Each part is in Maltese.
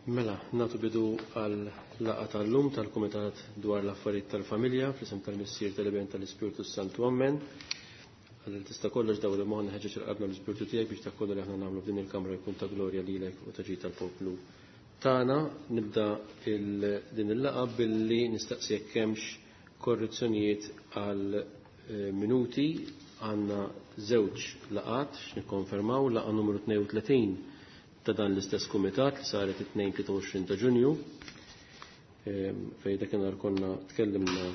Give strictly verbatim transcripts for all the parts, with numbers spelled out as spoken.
Mela, nagħtu bidu għal laqgħa tal-lum tal-Kumitat dwar l-Affarijiet tal-Familja fl-isem tal-Missier, tal-Iben, tal-Ispirtu Santu. Ammen. Għal tista' kollox daw li moħħna ħeġġeġ il-qalbna l-Ispirtu tiegħek biex dak kollu li aħna nagħmlu f'din il-kamra jkun ta' glorja lilek u ta' ġid tal-poplu tagħna. Nibda din il-laqgħa billi nistaqsi jekk hemmx korrezzjonijiet għal eh, minuti. Għandna żewġ laqgħat x'nikkonfermaw: laqgħa numru tnejn u tletin ta' dan l-istess kumitat li saret it-tnejn tlieta u għoxrin ta' Ġunju, fejn dakinhar konna tkellimna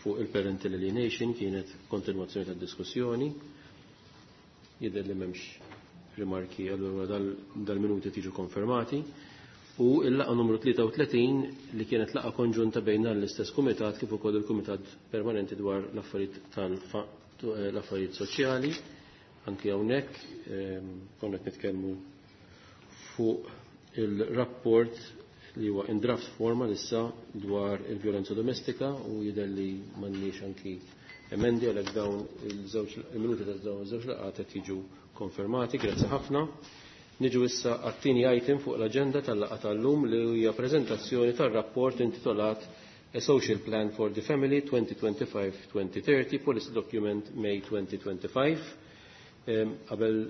fuq il-parental alienation, kienet kontinwazzjoni tad-diskussjoni. Jidher li m'hemmx rimarki, allura dal-minuti tiġu konfermati. U il-laqgħa numru tlieta u tletin li kienet laqgħa konġunta bejn dan l-istess kumitat kif ukoll il-Kumitat Permanenti dwar l-affarijiet tal-affarijiet soċjali. Anki hawnhekk konna qed nitkellmu fuq il-rapport li huwa in draft forma issa dwar il-vjolenza domestika u jidher li m'għandniex anki emendi, għalhekk dawn il-żewġ il-minuti ta' dawn iż-żewġ laqgħat qed jiġu konfermati. Grazzi ħafna. Niġu issa għat-tieni item fuq l-aġenda tal-laqgħa tal-lum, li hija preżentazzjoni tar-rapport intitolat A Social Plan for the Family twenty twenty-five twenty thirty, Policy Document May twenty twenty-five. Qabel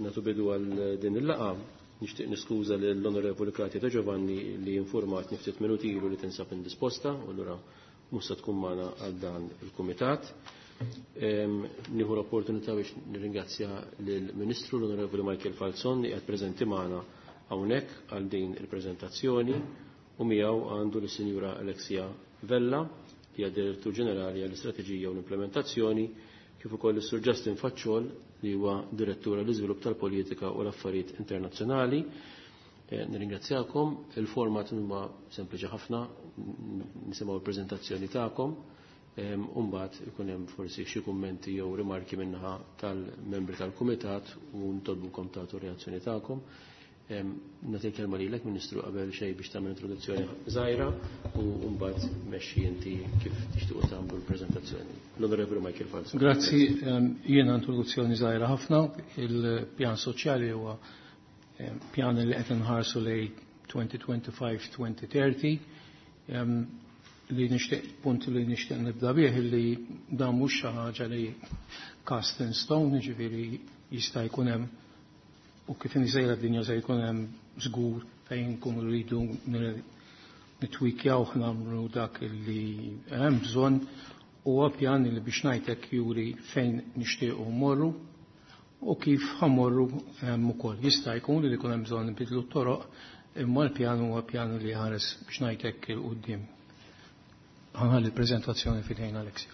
nagħtu bidu għal din il-laqgħa, nixtieq niskuża lill-Onorevoli Kratia De Giovanni li informat ftit minuti ilu li tinsab indisposta u allura mhux se tkun magħna għal dan il-kumitat. Nieħu l-opportunità biex nirringrazzja lill-Ministru, l-Onorevoli Michael Falzon, li qed preżenti magħna hawnhekk għal din il-preżentazzjoni, u miegħu għandu lis-Sinjura Alexia Vella, li hija Direttur Ġenerali għall-Istrateġija u l-Implementazzjoni, kif ukoll is-Sur Justin Facciol, li huwa Direttur għall-Iżvilupp tal-Politika u l-Affarijiet Internazzjonali. Eh, nirringrazzjakom, il-format huma sempliċi ħafna, nisimgħu l-preżentazzjoni tagħkom, u mbagħad ikun hemm forsi xi kummenti jew rimarki min-naħa tal-membri tal-kumitat u ntolbukom tagħtu reazzjoni tagħkom. Nagħti kelma lilek, Ministru, qabel xejn biex tagħmel introduzzjoni żgħira u mbagħad mexxi inti kif tixtiequ tagħmlu l-preżentazzjoni. L-Onorevoli Michael Falzon. Grazzi, jiena introduzzjoni żgħira ħafna. Il-pjan soċjali huwa pjan li qed inħarsu lejn twenty twenty-five twenty thirty. Li nixtieq punt li nixtieq nibda bih li dan mhux xi ħaġa li cast in stone, jiġifieri jista' jkun hemm u kif sejra d-dinja se jkun hemm żgur fejn nkunu rridu nitwikjaw, nagħmlu dak li hemm bżonn. Huwa pjan li biex ngħidlek juri fejn nixtiequ mmorru u kif ħa mmorru hemm ukoll. Jista' jkun li jkun hemm bżonn nbidlu t-toroq, imma l-pjan huwa pjan li ħares biex ngħidlek 'il quddiem. Ħa nħalli l-preżentazzjoni f'idejn Alexia.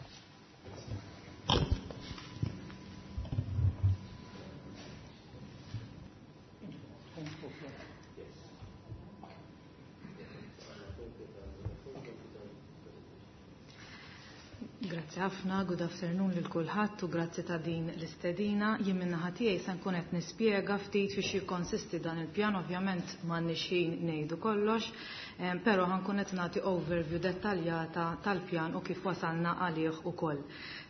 Grazzi ħafna, good afternoon lil kulħadd u grazzi ta' din l-istedina. Jien min-naħa tiegħi se nkun qed nispjega ftit fiex jikkonsisti dan il-pjan, ovvjament m'għandniex ħin ngħidu kollox, però ħa nkun qed nagħti overview dettaljata tal-pjan u kif wasalna għalih ukoll.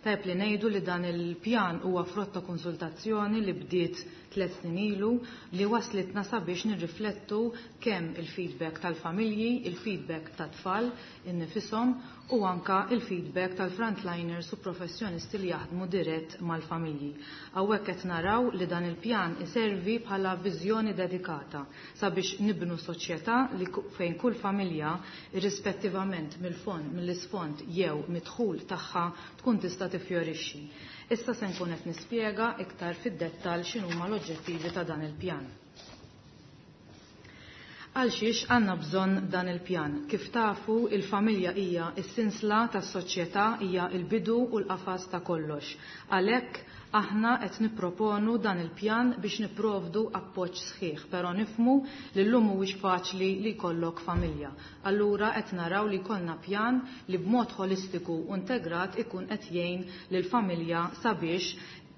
Tajb li ngħidu li dan il-pjan huwa frott ta' konsultazzjoni li bdiet tliet snin ilu, li waslitna sabiex nirriflettu kemm il-feedback tal-familji, il-feedback tat-tfal innifisom u anka il-feedback tal-frontliners u professjonisti li jaħdmu dirett mal-familji. Hawnhekk qed naraw li dan il-pjan iservi bħala viżjoni dedikata sabiex nibnu soċjetà li fejn kull familja, irrispettivament mill-fond, mill-isfond jew mid-dħul tagħha, tkun tista' tifjorixxi. Issa se nkun qed nispjega iktar fid-dettall x'inhuma l-oġġettivi ta' dan il-pjan. Għal xiex għandna bżonn dan il-pjan? Kif tafu, il-familja hija s-sinsla tas-soċjetà, hija il-bidu u l-qafas ta' kollox. Għalhekk aħna qed nipproponu dan il-pjan biex nipprovdu appoġġ sħiħ, però nifhmu li llum mhuwiex faċli li jkollok familja. Allura qed naraw li jkollna pjan li b'mod holistiku u integrat ikun qed jgħin lill-familja sabiex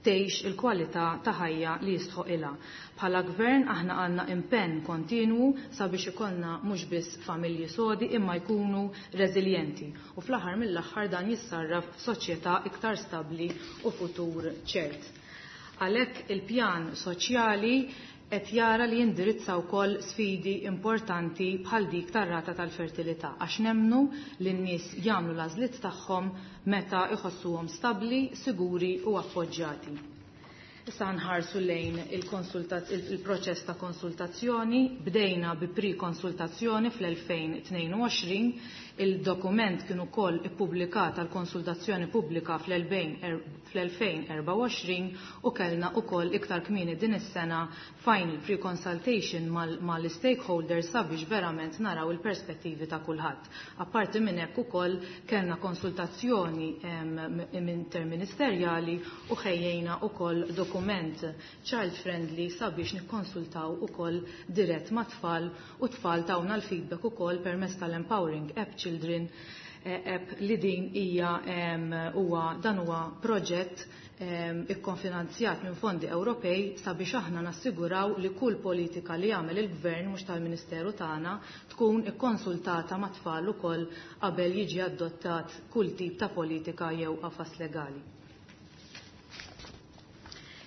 tgħix il-kwalità ta' ħajja li jistħoqilha. Bħala gvern aħna għandna impenn kontinwu sabiex ikollna mhux biss familji sodi imma jkunu reżiljenti. U fl-aħħar mill-aħħar dan jissarraf f'soċjetà iktar stabbli u futur ċert. Għalhekk il-pjan soċjali qed jara li jindirizza wkoll sfidi importanti bħal dik tar-rata tal-fertilità għax nemmnu li n-nies jagħmlu l-għażliet tagħhom meta jħossuhom stabbli, siguri u appoġġjati. Issa nħarsu lejn il-proċess ta' konsultazzjoni. Bdejna bi pre-konsultazzjoni fl-elfejn tnejn u għoxrin, il-dokument kien ukoll ippubblikat għal konsultazzjoni pubblika fl-elfejn erbgħa u għoxrin u kellna ukoll iktar kmieni din is-sena final pre-consultation mal-stakeholders sabiex verament naraw il-perspettivi ta' kulħadd. Apparti minn hekk ukoll kellna konsultazzjoni interministerjali u ħejjejna ukoll dokument child friendly sabiex nikkonsultaw ukoll dirett ma' tfal u tfal tawna l-feedback ukoll permezz tal-Empowering App Children app li din hija huwa dan huwa proġett ikkonfinanzjat minn fondi Ewropej sabiex aħna nassiguraw li kull politika li jagħmel il-gvern mhux tal-Ministeru tagħna tkun ikkonsultata ma' tfal ukoll qabel jiġi adottat kull tip ta' politika jew qafas legali.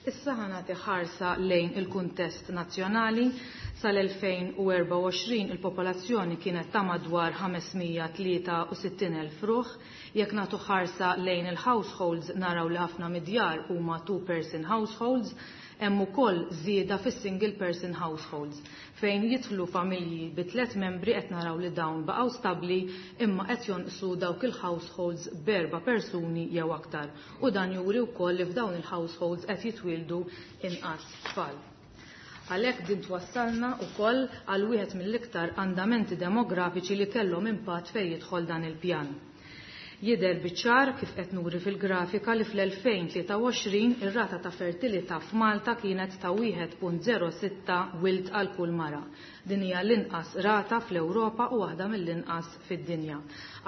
Issa ħanati ħarsa lejn il-kuntest nazzjonali. Sal-elfejn u erbgħa u għoxrin il-popolazzjoni kienet ta' madwar ħames mija tlieta u sittin elf ruħ. Jekk nagħtu ħarsa lejn il-households naraw li ħafna mid-djar huma two-person households, hemm ukoll żieda fis-single person households fejn jidħlu familji bi tliet membri qed naraw li dawn baqgħu stabbli imma qed jonqsu dawk il-households b'erba' persuni jew aktar. U dan juri wkoll li f'dawn il-households qed jitwieldu inqas tfal. Għalhekk din twassalna wkoll għal wieħed mill-iktar andamenti demografiċi li kellhom impatt fejn jidħol dan il-pjan. Jidher biċ-ċar kif qed nuri fil-grafika li fl-elfejn tlieta u għoxrin ir-rata ta' fertilità f'Malta kienet ta' wieħed punt zero sitta wild għal kull mara. Din hija l-inqas rata fl-Ewropa u waħda mill-inqas fid-dinja.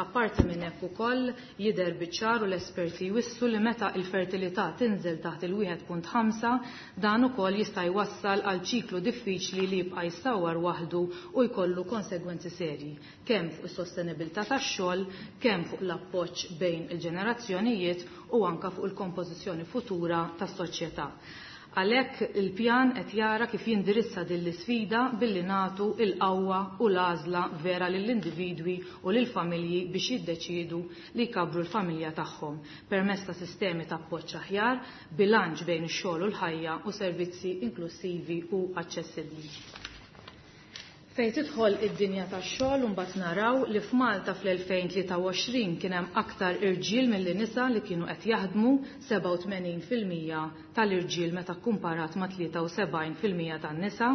Apparti minn hekk ukoll jidher biċ-ċar u l-esperti jwissu li meta l-fertilità tinżel taħt il-wieħed punt ħamsa dan ukoll jista' jwassal għal ċiklu diffiċli li jibqa' jissawwar waħdu u jkollu konsegwenzi serji, kemm fuq is-sostenibilità tax-xogħol, kemm fuq l-appoġġ bejn il-ġenerazzjonijiet u anka fuq il-kompożizzjoni futura tas-soċjetà. Għalhekk il-pjan qed jara kif jindirizza din l-isfida billi nagħtu il-qawwa u l-għażla vera lill-individwi u lill-familji biex jiddeċiedu li jkabru l-familja tagħhom permezz ta' sistemi ta' appoġġ aħjar, bilanċ bejn ix-xogħol u l-ħajja u servizzi inklusivi u aċċessibbli. Fejn tidħol id-dinja tax-xogħol mbagħad naraw li f'Malta fl-elfejn tlieta u għoxrin kien hemm aktar irġiel milli nisa li kienu qed jaħdmu, sebgħa u tmenin fil-mija tal-irġiel meta kkumparat ma' tlieta u sebgħin fil-mija tan-nisa.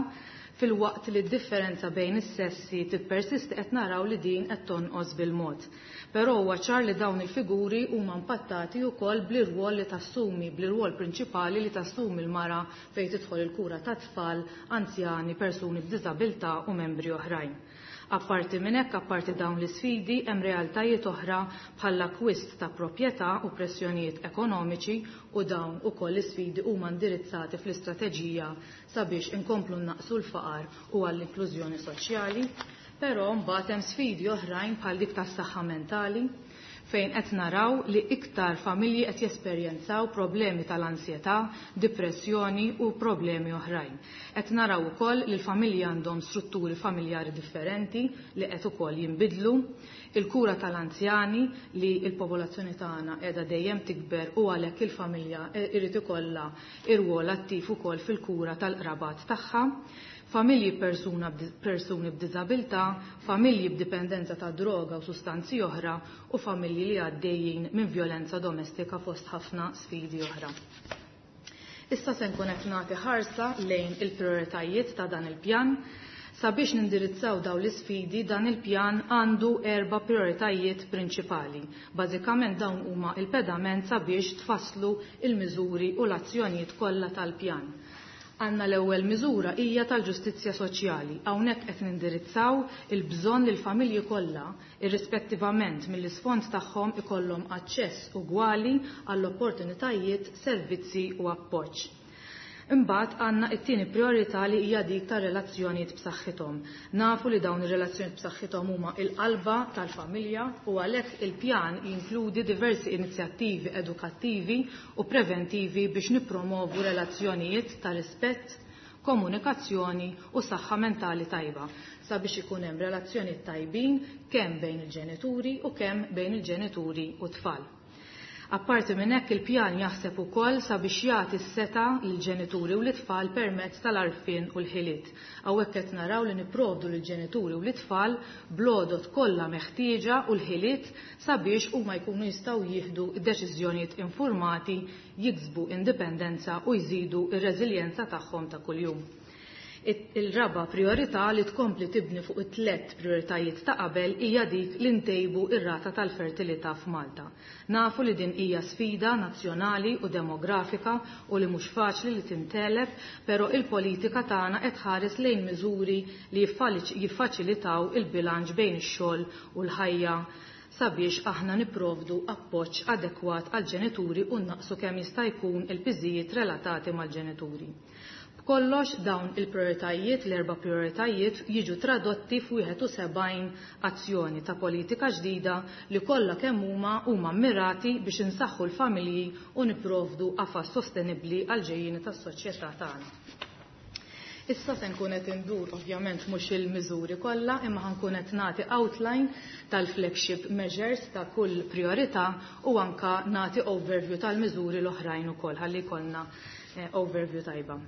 Fil-waqt li d-differenza bejn is-sessi tippersisti qed naraw li din qed tonqos bil-mod. Però huwa ċar li dawn il-figuri huma impattati wkoll bl-irwol li tassumi, bl-irwol prinċipali li tassumi l-mara fejn tidħol il-kura ta' tfal, anzjani, persuni b'diżabilità u membri oħrajn. Apparti minn hekk, apparti dawn l-isfidi, hemm realtajiet oħra bħall-akkwist ta' proprjetà u pressjonijiet ekonomiċi u dawn ukoll l-isfidi huma indirizzati fl-istrateġija sabiex inkomplu naqsu l-faqar u għall-inklużjoni soċjali. Però mbagħad hemm sfidi oħrajn bħal dik tas-saħħa mentali fejn qed naraw li iktar familji qed jesperjenzaw problemi tal-ansjetà, depressjoni u problemi oħrajn. Qed naraw ukoll li l-familji għandhom strutturi familjari differenti li qed ukoll jinbidlu, il-kura tal-anzjani li l-popolazzjoni tagħna qiegħda dejjem tikber u għalhekk il-familja irid ikollha irwol attiv ukoll fil-kura tal-qrabat tagħha, familji persuna b'di-, persuni b'diżabilità, familji b'dipendenza ta' droga u sustanzi oħra u familji li għaddejjin minn violenza domestika fost ħafna sfidi oħra. Issa se nkun qed nagħti ħarsa lejn il-prioritajiet ta' dan il-pjan. Sabiex nindirizzaw dawn l-isfidi, dan il-pjan għandu erba' prioritajiet prinċipali. Bażikament dawn huma il-pedament sabiex tfasslu il-miżuri u l-azzjonijiet kollha tal-pjan. Għanna l-ewwel miżura hija tal-ġustizzja soċjali. Hawnhekk qed nindirizzaw il-bżonn li l-familji kollha, irrispettivament mill-isfond tagħhom, ikollhom aċċess ugwali għall-opportunitajiet, servizzi u appoġġ. Imbagħad għandna t-tieni priorità li hija dik ta' relazzjonijiet b'saħħithom. Nafu li dawn ir-relazzjonijiet b'saħħithom huma l-qalba tal-familja u għalhekk il-pjan jinkludi diversi inizjattivi edukattivi u preventivi biex nippromovu relazzjonijiet ta' rispett, komunikazzjoni u saħħa mentali tajba sabiex ikun hemm relazzjoni tajbin kemm bejn il-ġenituri u kemm bejn il-ġenituri u tfal. Apparti minn hekk, il-pjan jaħseb ukoll sabiex jagħti s-setgħa lill-ġenituri u l-itfal permezz tal-għarfien u l-ħiliet. Hawnhekk qed naraw li nipprovdu lill-ġenituri u l-itfal bl-għodod kollha meħtieġa u l-ħiliet sabiex huma jkunu jistgħu jieħdu deċiżjonijiet informati, jiksbu indipendenza u jżidu r-reżiljenza tagħhom ta' kuljum. Il-raba priorità, li tkompli tibni fuq it-tlet prioritajiet ta' qabel, hija dik li ntejbu ir-rata tal-fertilità f'Malta. Nafu li din hija sfida nazzjonali u demografika u li mhux faċli li tinteleb, però il-politika tagħna qed tħares lejn miżuri li jiffaċilitaw il-bilanċ bejn ix-xogħol u l-ħajja sabiex aħna niprovdu appoġġ adekwat għal ġenituri u naqsu kemm jista' jkun il-piżijiet relatati mal-ġenituri. Kollox dawn il-prioritajiet, l-erba' prioritajiet, jiġu tradotti f'wieħed u sebgħin azzjoni ta' politika ġdida li kollha kemm huma huma mirati biex insaħħu l-familji u nipprovdu qafas sostenibbli għal ġejjieni tas-soċjetà tagħna. Issa se nkun qed indur, ovvjament mhux il-miżuri kollha, imma ħa nkun qed nagħti outline tal-flagship measures ta' kull priorità u anka nagħti overview tal-miżuri l-oħrajn ukoll ħalli jkollna eh, overview tajba.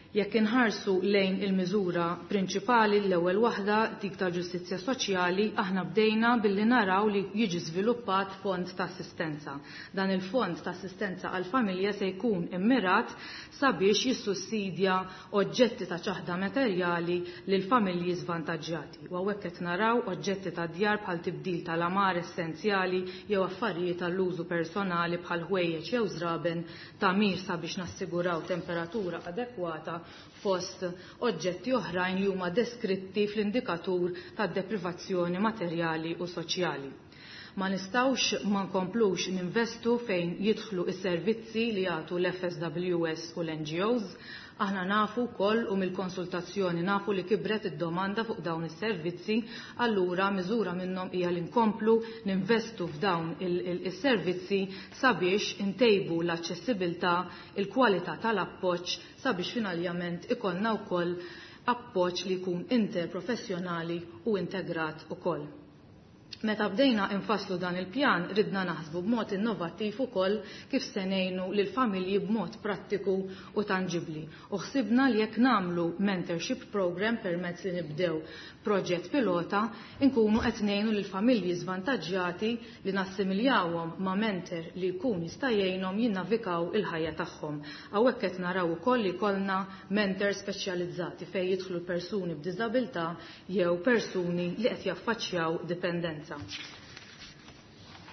Jekk inħarsu lejn il-miżura prinċipali, l-ewwel waħda, dik tal-ġustizzja soċjali, aħna bdejna billi naraw li jiġi żviluppat fond ta' assistenza. Dan il-fond ta' assistenza għal familja se jkun immirat sabiex jissussidja oġġetti ta' ċaħda materjali lil familji żvantaġġjati. U hawnhekk qed naraw oġġetti ta' djar bħal tibdil tal-għamara essenzjali jew affarijiet tal-użu personali bħal ħwejjeġ jew żraben, tagħmir sabiex nassiguraw temperatura adekwata, fost oġġetti oħrajn li huma deskritti fl-indikatur tad-deprivazzjoni materjali u soċjali. Ma nistgħux ma nkomplux ninvestu fejn jidħlu is-servizzi li jagħtu l-F S W S u l-N G Os. Aħna nafu wkoll u mill-konsultazzjoni nafu li kibret id-domanda fuq dawn is-servizzi, allura miżura minnhom hija li nkomplu ninvestu f'dawn is-servizzi sabiex intejbu l-aċċessibilità, il-kwalità tal-appoġġ, sabiex finalment ikollna wkoll appoġġ li jkun interprofessjonali u integrat ukoll. Meta bdejna infasslu dan il-pjan, ridna naħsbu b'mod innovattiv ukoll kif se ngħinu lil familji b'mod prattiku u tanġibli. U ħsibna li jekk nagħmlu mentorship program permezz li nibdew proġett pilota, inkunu qed ngħinu lil familji żvantaġġjati li nassimiljawhom ma' mentor li jkun jista' jgħinhom jinnavikaw il-ħajja tagħhom. Hawnhekk qed naraw ukoll li jkollna mentor speċjalizzati fejn jidħlu persuni b'diżabilità jew persuni li qed jaffaċċjaw dipendenza.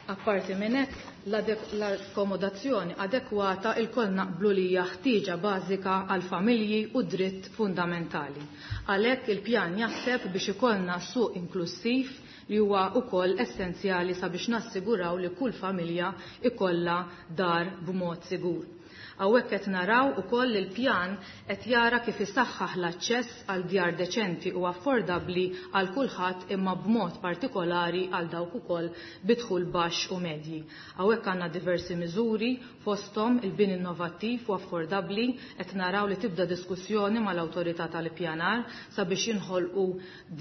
Apparti minn hekk, l-akkomodazzjoni adekwata ilkoll naqblu li hija ħtieġa bażika għal familji u dritt fundamentali. Għalhekk il-pjan jaħseb biex ikollna suq inklusiv li huwa wkoll essenzjali sabiex nassiguraw li kull familja ikollha dar b'mod sigur. Hawnhekk qed naraw ukoll il-pjan qed jara kif isaħħaħ l-aċċess għal djar deċenti u affordabbli għal kulħadd, imma b'mod partikolari għal dawk ukoll bi dħul baxx u medji. Hawnhekk għandna diversi miżuri, fosthom il-bini innovattiv u affordabbli. Qed naraw li tibda diskussjoni mal-awtorità tal-ippjanar sabiex jinħolqu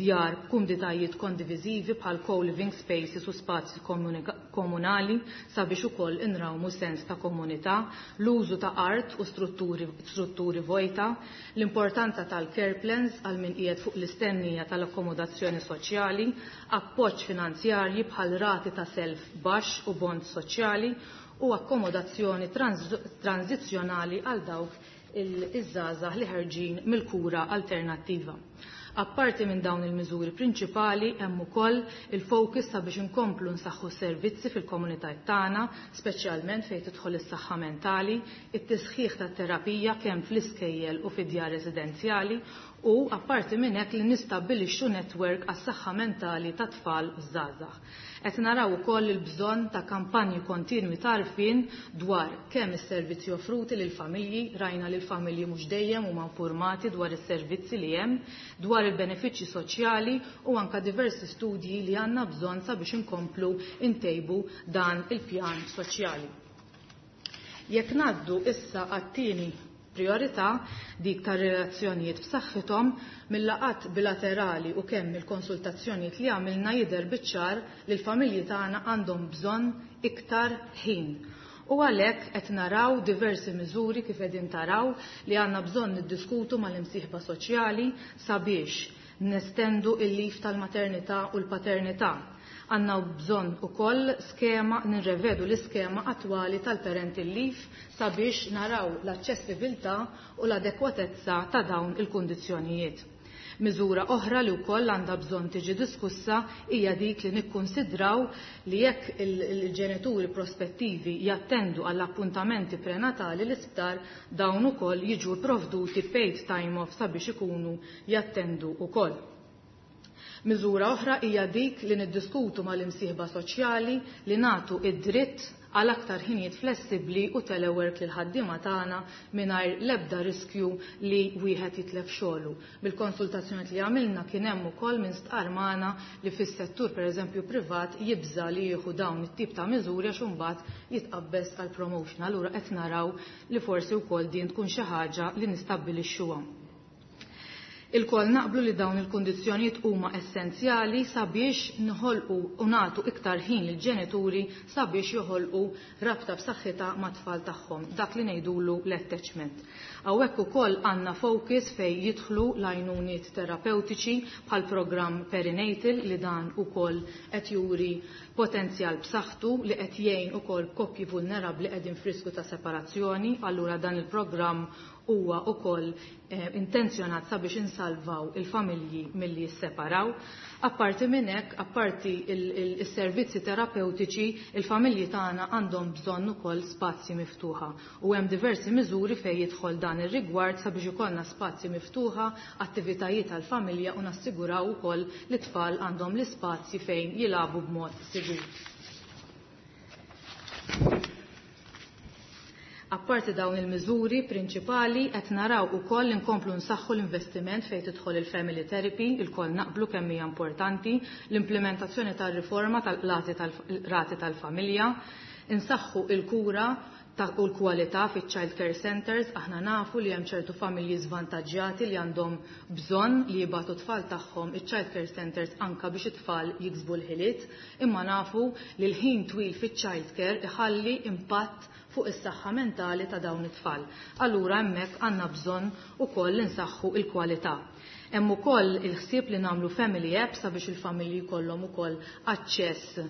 djar b'kumditajiet kondiviżivi bħal co-living spaces u spazji komunali sabiex ukoll inrawmu sens ta' komunità, l-użu ta' art u strutturi, strutturi vojta, l-importanza tal-care plans għal min qiegħed fuq l-istennija tal-akkomodazzjoni soċjali, appoġġ finanzjarji bħal rati ta' self baxx u bond soċjali u akkomodazzjoni transizzjonali għal dawk iż-żgħażagħ li ħerġin mill-kura alternattiva. Apparti minn dawn il-miżuri prinċipali, hemm ukoll il-focus sabiex inkomplu nsaħħu servizzi fil-komunitajiet tagħna, speċjalment fejn tidħol is-saħħa mentali, it-tisħiħ tat-terapija kemm fl-iskejjel u fid-djar residenzjali u apparti minn hekk li nistabbilixxu network għas-saħħa mentali ta' tfal u żgħażagħ. Qed naraw ukoll il-bżonn ta' kampanji kontinwi ta' għarfien dwar kemm is-servizzi offruti lil familji, rajna li l-familji mhux dejjem huma informati dwar is-servizzi li hemm, dwar il-benefiċċji soċjali u anka diversi studji li għandna bżonn sabiex inkomplu intejbu dan il-pjan soċjali. Jekk ngħaddu issa għat-tieni priorità, dik ta' relazzjonijiet b'saħħithom, mill-laqgħat bilaterali u kemm il-konsultazzjonijiet li għamilna jidher biċ-ċar li l-familji tagħna għandhom bżonn iktar ħin. U għalhekk qed naraw diversi miżuri kif qegħdin taraw li għandna bżonn niddiskutu mal-imsieħba soċjali sabiex nestendu il-lif tal-maternità u l-paternità. Għandna bżonn ukoll skema, nirrevedu l-iskema attwali tal-parental leave sabiex naraw l-aċċessibilità u l-adekwatezza ta' dawn il-kundizzjonijiet. Miżura oħra li wkoll għandha bżonn tiġi diskussa hija dik li nikkunsidraw li jekk il-ġenituri prospettivi jattendu għall appuntamenti prenatali l-isptar, dawn ukoll jiġu provduti paid time off sabiex ikunu jattendu ukoll. Miżura oħra hija dik li niddiskutu mal-imsieħba soċjali li nagħtu id-dritt għal aktar ħinijiet flessibbli u telework lil ħaddiema tagħna mingħajr l-ebda riskju li wieħed jitlef xogħlu. Bil-konsultazzjoni li għamilna kien hemm ukoll minn stqar magħna li fis-settur pereżempju privat jibża li jieħu dawn it-tip ta' miżuri għax imbagħad jitqabbes għal promotion. Allura qed naraw li forsi wkoll din tkun xi ħaġa li nistabbilixxuha. Ilkoll naqblu li dawn il-kundizzjonijiet huma essenzjali sabiex nħolqu u nagħtu iktar ħin lill-ġenituri sabiex joħolqu rabta b'saħħitha mat-tfal tagħhom, dak li ngħidulu l-attachment. Hawnhekk ukoll għandna focus fejn jidħlu l-għajnuniet terapeutiċi bħal programm perinatal li dan ukoll qed juri potenzjal b'saħħtu li qed jgħin ukoll koppji vulnerabbli qegħdin f'riskju ta' separazzjoni, allura dan il-programm huwa ukoll eh, intenzjonat sabiex insalvaw il-familji milli jisseparaw. Apparti minn hekk, apparti il-servizzi terapeutiċi, il-familji tagħna għandhom bżonn ukoll spazji miftuħa. U hemm diversi miżuri fejn jidħol dan ir-rigward sabiex ikollna spazji miftuħa, attivitajiet tal-familja u nassiguraw ukoll li t-tfal għandhom l-ispazji fejn jilagħbu b'mod sigur. Apparti dawn il-miżuri prinċipali qed naraw ukoll inkomplu nsaħħu l-investiment fejn tidħol il-family therapy, ilkoll naqblu kemm hija importanti, l-implementazzjoni tar-riforma tal-rati tal-rati tal-familja, insaħħu il-kura ta' u l-kwalità fiċ-child care centers. Aħna nafu li hemm ċertu familji żvantaġġjati li għandhom bżonn li jibgħatu tfal tagħhom iċ-child care centers anka biex it-tfal jiksbu l-ħiliet, imma nafu li l-ħin twil fiċ-child care iħalli impatt fuq is-saħħa mentali ta' dawn it-tfal. Allura hemmhekk għandna bżonn ukoll li nsaħħu l-kwalità. Hemm ukoll il-ħsieb li nagħmlu family apps sabiex il-familji jkollhom ukoll aċċess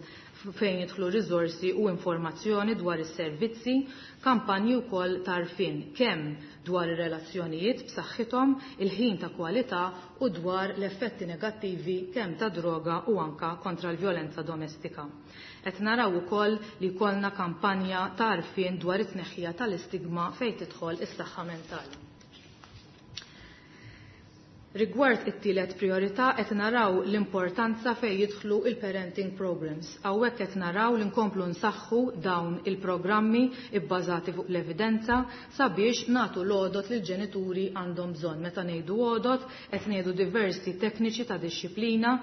fejn jidħlu riżorsi u informazzjoni dwar is-servizzi, kampanji wkoll tarfin kemm dwar ir-relazzjonijiet b'saħħithom, il-ħin ta' kwalità u dwar l-effetti negattivi kemm ta' droga u anka kontra l-vjolenza domestika. Qed naraw ukoll li jkollna kampanja ta' għarfien dwar it-tneħħija tal-istigma fejn tidħol is-saħħa mentali. Rigward it-tielet priorità qed naraw l-importanza fejn jidħlu il-parenting programs. Hawnhekk qed naraw li nkomplu nsaħħu dawn il-programmi ibbażati fuq l-evidenza sabiex nagħtu l-għodot li l-ġenituri għandhom bżonn. Meta ngħidu għodot qed ngħidu diversi tekniċi ta' dixxiplina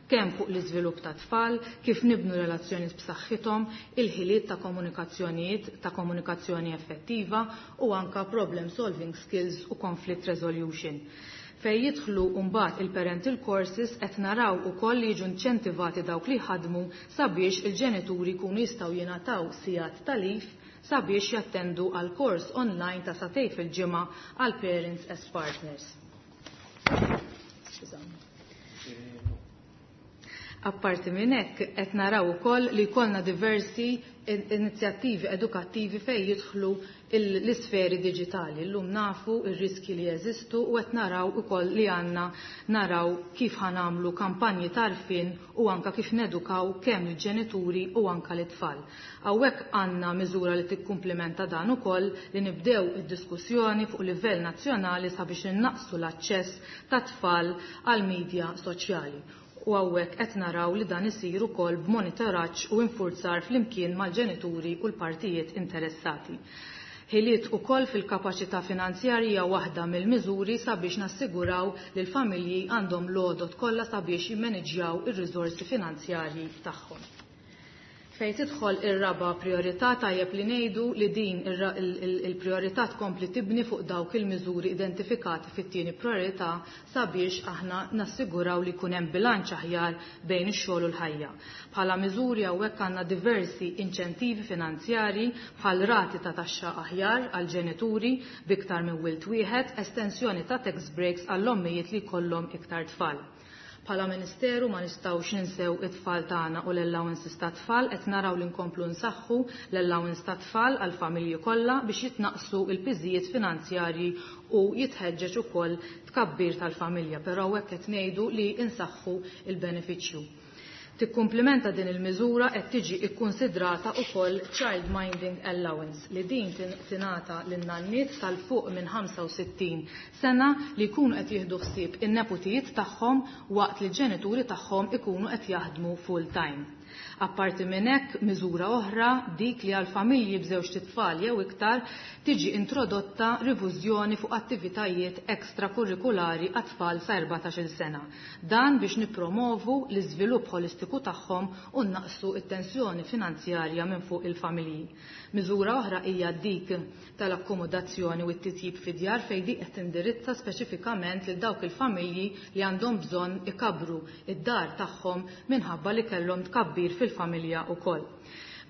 kemm fuq l-iżvilupp ta' tfal, kif nibnu relazzjonijiet b'saħħithom, il-ħiliet ta' komunikazzjonijiet ta' komunikazzjoni effettiva u anka problem solving skills u conflict resolution. Fej jidħlu mbagħad il-parental courses qed naraw ukoll li jiġu inċentivati dawk li ħadmu sabiex il-ġenituri jkunu jistgħu jingħataw sigħat ta' leave sabiex jattendu għal kors online ta' sagħtejn fil-ġimgħa għal parents as partners. Skużawni. Apparti minn hekk qed naraw ukoll li jkollna diversi inizjattivi edukattivi fejn jidħlu l-isferi diġitali. Illum nafu r-riski li jeżistu u qed naraw ukoll li għandna naraw kif ħanamlu kampanji tarfin u anka kif nedukaw kemm il-ġenituri u anka l-itfal. Hawnhekk għandna miżura li tikkumplementa dan ukoll li nibdew id-diskussjoni fuq livell nazzjonali sabiex innaqsu l-aċċess ta' tfal għal media soċjali. U hawnhekk qed naraw li dan isir ukoll b'monitoraġġ u infurzar flimkien mal-ġenituri u l-partijiet interessati. Ħiliet ukoll fil-kapaċità finanzjarja waħda mill-miżuri sabiex nassiguraw li l-familji għandhom l-għodot kollha sabiex jimmaniġġjaw ir-riżorsi finanzjarji tagħhom. Fejn tidħol ir-raba priorità, tajjeb li ngħidu li din il-priorità tkompli tibni fuq dawk il-miżuri identifikati fit-tieni priorità sabiex aħna nassiguraw li jkun hemm bilanċ aħjar bejn ix-xogħol u l-ħajja. Bħala miżuri hawnhekk għandna diversi inċentivi finanzjarji bħal rati ta' taxxa aħjar għal ġenituri b'iktar minn wild wieħed, estensjoni ta' tax breaks għall-ommijiet li jkollhom iktar tfal. Bħala Ministeru ma nistgħux ninsew it-tfal tagħna u l-allowances ta' tfal. Qed naraw li nkomplu nsaħħu l-allowance ta' tfal għal familji kollha biex jitnaqsu l-piżijiet finanzjarji u jitħeġġeġ ukoll tkabbir tal-familja, però hekk qed ngħidu li nsaħħu il-benefiċċju. Tikkumplimenta din il-miżura qed tiġi kkunsidrata wkoll Child Minding Allowance li din tingħata lin-nanniet tal-fuq minn ħamsa u sittin sena li jkunu qed jieħdu ħsieb in-neputijiet tagħhom waqt li l-ġenituri tagħhom ikunu qed jaħdmu full time. Apparti minn hekk, miżura oħra dik li għal familji b'żewġt itfal jew iktar tiġi introdotta rifużjoni fuq attivitajiet ekstrakurrikulari għat-tfal sa erbatax-il sena. Dan biex nippromovu l-iżvilupp holistiku tagħhom u naqsu it-tensjoni finanzjarja minn fuq il-familji. Miżura oħra hija dik tal-akkomodazzjoni u t-titjib fid-djar, fejn dik qed tindirizza speċifikament lil dawk il-familji li għandhom bżonn ikabru id-dar tagħhom minħabba li kellhom tkabbir fil-familja wkoll.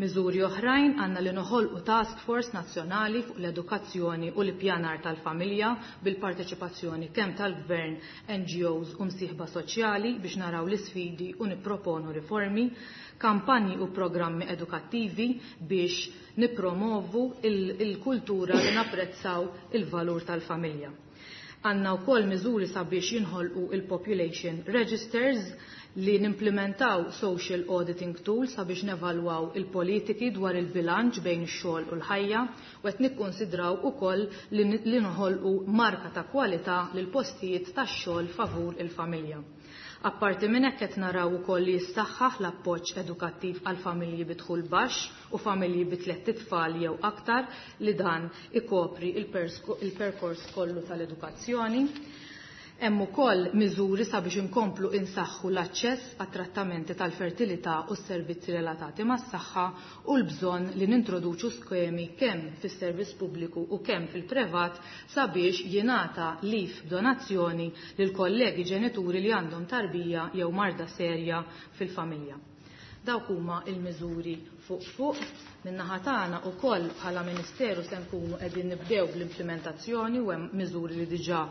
Miżuri oħrajn għandna li noħolqu task force nazzjonali fuq l-edukazzjoni u l-ippjanar tal-familja bil-parteċipazzjoni kemm tal-gvern, N G Os u msieħba soċjali biex naraw l-isfidi u nipproponu riformi, kampanji u programmi edukattivi biex nipromovu il-kultura li napprezzaw il-valur tal-familja. Għandna wkoll miżuri sabiex jinħolqu il-population registers, li nimplementaw social auditing tools sabiex nevalwaw il-politiki dwar il-bilanċ bejn ix-xogħol u l-ħajja, u qed nikkonsidraw ukoll li noħolqu marka ta' kwalità lil postijiet tax-xogħol favur il-familja. Apparti minn hekk, qed naraw ukoll li jissaħħaħ l-appoġġ edukattiv għal familji bi dħul baxx u familji bi tliet itfal jew aktar, li dan ikopri il-perkors kollu tal-edukazzjoni. Hemm ukoll miżuri sabiex inkomplu insaħħu l-aċċess għat-trattamenti tal-fertilità u s-servizzi relatati mas-saħħa u l-bżonn li nintroduċu skemi kemm fis-servizz pubbliku u kemm fil-privat sabiex jingħata leave b'donazzjoni lil kollegi ġenituri li għandhom tarbija jew marda serja fil-familja. Dawk huma il-miżuri fuq fuq. Min-naħa tagħna wkoll bħala Ministeru se nkunu qegħdin nibdew bl-implementazzjoni u hemm miżuri li diġà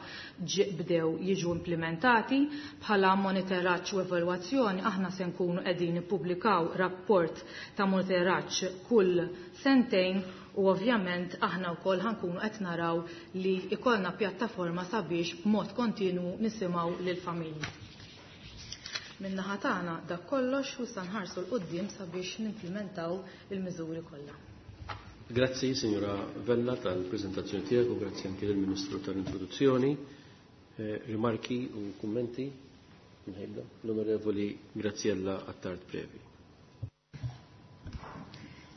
bdew jiġu implementati. Bħala monitoraġġ u evalwazzjoni, aħna se nkunu qegħdin nippubblikaw rapport ta' monitoraġġ kull sentejn u ovvjament aħna wkoll ħankunu qed naraw li ikollna pjattaforma sabiex b'mod kontinu nisimgħu lill-familji. Min-naħa tagħna dak kollox u sa nħarsu 'l quddiem sabiex nimplementaw il-miżuri kollha. Grazzi, signora Vella, tal-prezentazzjoni tiegħek u grazzi anke lill-Ministru tal-introduzzjoni. Eh, rimarki u kummenti? L-Onorevoli Graziella Attard Previ.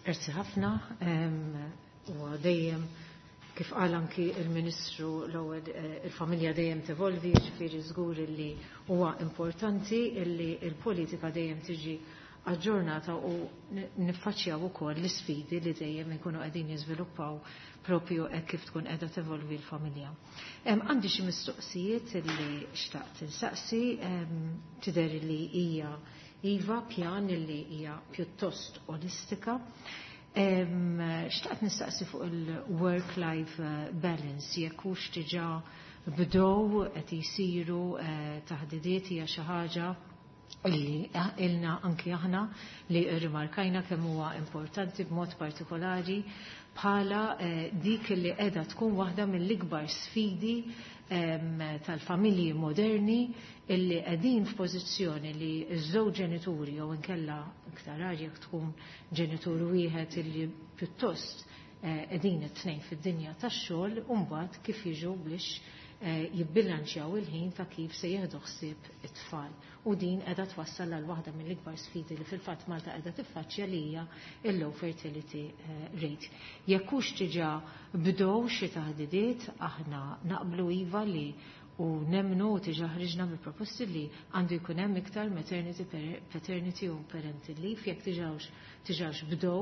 Grazzi ħafna u dejjem, kif qal anki il-Ministru l-ewwel, eh, il-familja dejjem tevolvi, ġifieri żgur li huwa importanti illi il-politika dejjem tiġi aġġornata u niffaċċjaw ukoll l-isfidi li dejjem ikunu qegħdin jiżviluppaw propju hekk kif tkun qiegħda tevolvi l-familja. Għandi xi mistoqsijiet li xtaqt insaqsi. Tidher li hija iva pjan li hija pjuttost olistika. Xtaqt nistaqsi fuq il-work-life eh, balance, jekk hux diġà bdew qed jisiru eh, taħdidiet. Hija xi ħaġa illi ilna anki aħna li rimarkajna kemm huwa importanti, b'mod partikolari bħala eh, dik li qiegħda tkun waħda mill-ikbar sfidi tal-familji moderni, illi qegħdin f'pożizzjoni li ż-żewġ ġenituri jew inkella iktar jekk tkun ġenitur wieħed illi pjuttost eh, qegħdin it-tnejn fid-dinja tax-xogħol, u mbagħad kif jiġu biex eh, jibbilanċjaw il-ħin ta' kif se jieħdu ħsieb it-tfal. U din qiegħda twassal għal waħda mill-ikbar sfidi li fil-fatt Malta qiegħda tiffaċċja, li hija il-low fertility eh, rate. Jekk hux diġà bdew xi taħdidiet, aħna naqblu iva li U nemmnu u diġà ħriġna bi proposti li għandu jkun hemm iktar maternity, paternity u parental leave, jekk diġà diġà bdew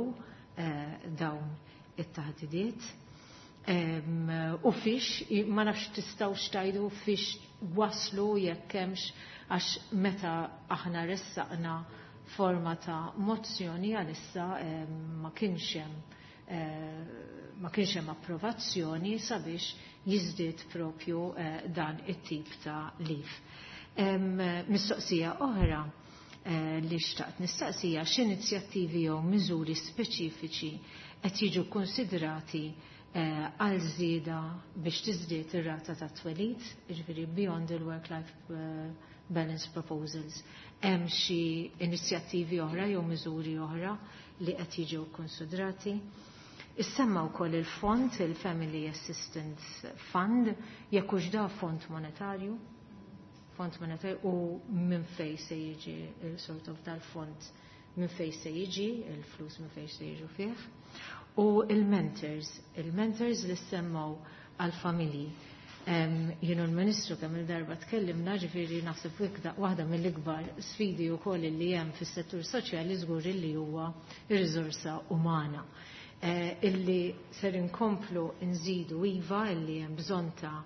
eh, dawn it-taħdidiet. U fiex, ma nafx tistgħux tgħidu fiex waslu, jekk hemmx, għax meta aħna ressaqna forma ta' mozzjoni, għalissa ma kienx hemm eh, ma kienx hemm approvazzjoni sabiex jiżdied propju eh, dan it-tip ta' leave. Mistoqsija oħra eh, li xtaqt nistaqsija: x'inizjattivi jew miżuri speċifiċi qed jiġu konsidrati eh, għal żieda biex tiżdied ir-rata ta' twelid, jiġifieri beyond the work-life balance proposals? Hemm xi inizjattivi oħra jew miżuri oħra li qed jiġu konsidrati? Issemma wkoll il-fond, il-Family Assistance Fund, jekk hux da fond monetarju, fond monetarju u minn fej se jiġi il-sort of dal-fond, minn fej se jiġi, il-flus minn fej se jiġu fih. U il-mentors, il-mentors li semmaw għal-familji. Jien u l-Ministru kemm il-darba tkellimna, ġifieri naħseb waħda mill-ikbar sfidi wkoll li hemm fis-settur soċjali żgur li huwa ir-riżorsa umana. Eh, illi ser inkomplu nżidu, iva, illi hemm bżonn ta'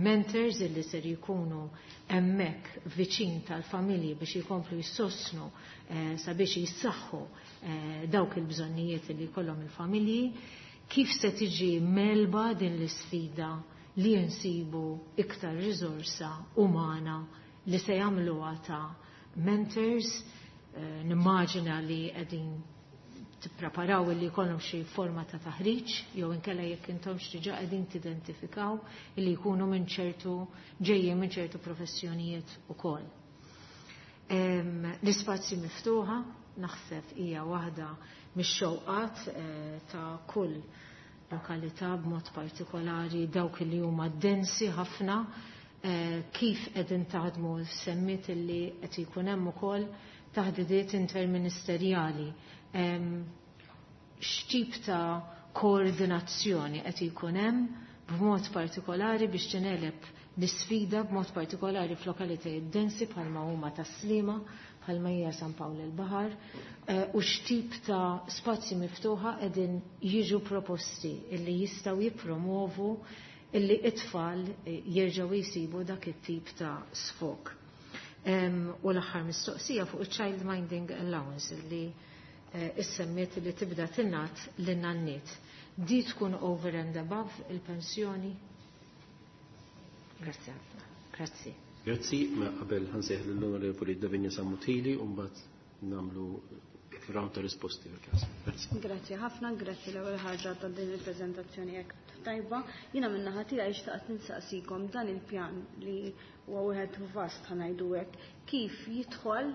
mentors illi ser jkunu hemmhekk viċin tal-familji biex jkomplu jissostnu eh, sabiex jissaħħu eh, dawk il-bżonnijiet illi jkollhom il-familji. Kif se tiġi megħluba din l-isfida li nsibu iktar riżorsa umana li se jagħmluha ta' mentors? Nimmaġina li qegħdin tippreparaw li jkollhom xi forma ta' taħriġ jew inkella jekk intom diġà qegħdin tidentifikaw li jkunu minn ċertu ġejjin minn ċertu professjonijiet ukoll. L-ispazji miftuħa naħseb hija waħda mix-xewqat eh, ta' kull lokalità, b'mod partikolari dawk li huma densi ħafna. eh, kif qegħdin taħdmu? Semmit illi qed jkun hemm ukoll taħdidiet interministerjali. X'tip ta' koordinazzjoni qed jkun hemm b'mod partikolari biex tingħeleb l-isfida, b'mod partikolari f'lokalitajiet densi bħalma huma Tas-Sliema, bħalma hija San Pawl il-Baħar, eh, u x'tip ta' spazji miftuħa qegħdin jiġu proposti illi jistgħu jippromovu illi it-tfal eh, jerġgħu jsibu dak it-tip ta' sfok? U l-aħħar mistoqsija fuq il-Child Minding Allowance illi eh, issemmiet li tibda tingħat lin-nanniet. Di tkun over and above il-pensjoni? Grazzi ħafna. Grazzi. Grazzi, ma qabel ħa nsejjaħ l-Onorevoli Davinia Sammut Hili u mbagħad nagħmlu round ta' risposti fil-każ. Grazzi. Grazzi ħafna, grazzi l-ewwel ħaġa ta' din il-preżentazzjoni hekk tajba. Jiena min-naħa tiegħi xtaqt nistaqsikom dan il-pjan li huwa wieħed vast, ħa ngħidu hekk, kif jidħol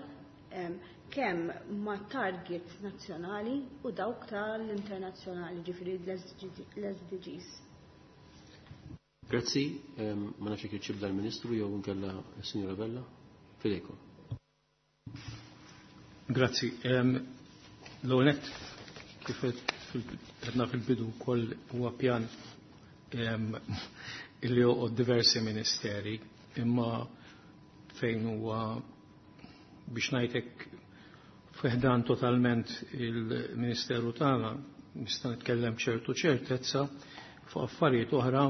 kemm ma' targets nazzjonali u dawk tal-internazzjonali, ġifieri l-S D Gs. Grazzi, ma nafx jekk jibda l-Ministru jew nkella s-Sinjora Bella. Fidejkom. Grazzi. L-għonet, kif għedna fil-bidu koll, huwa pjan illi joqgħod diversi ministeri, imma fejn huwa, biex ngħidlek, fi ħdan totalment il-Ministeru tagħna nista' nitkellem ċertu ċertezza. Fuq affarijiet oħra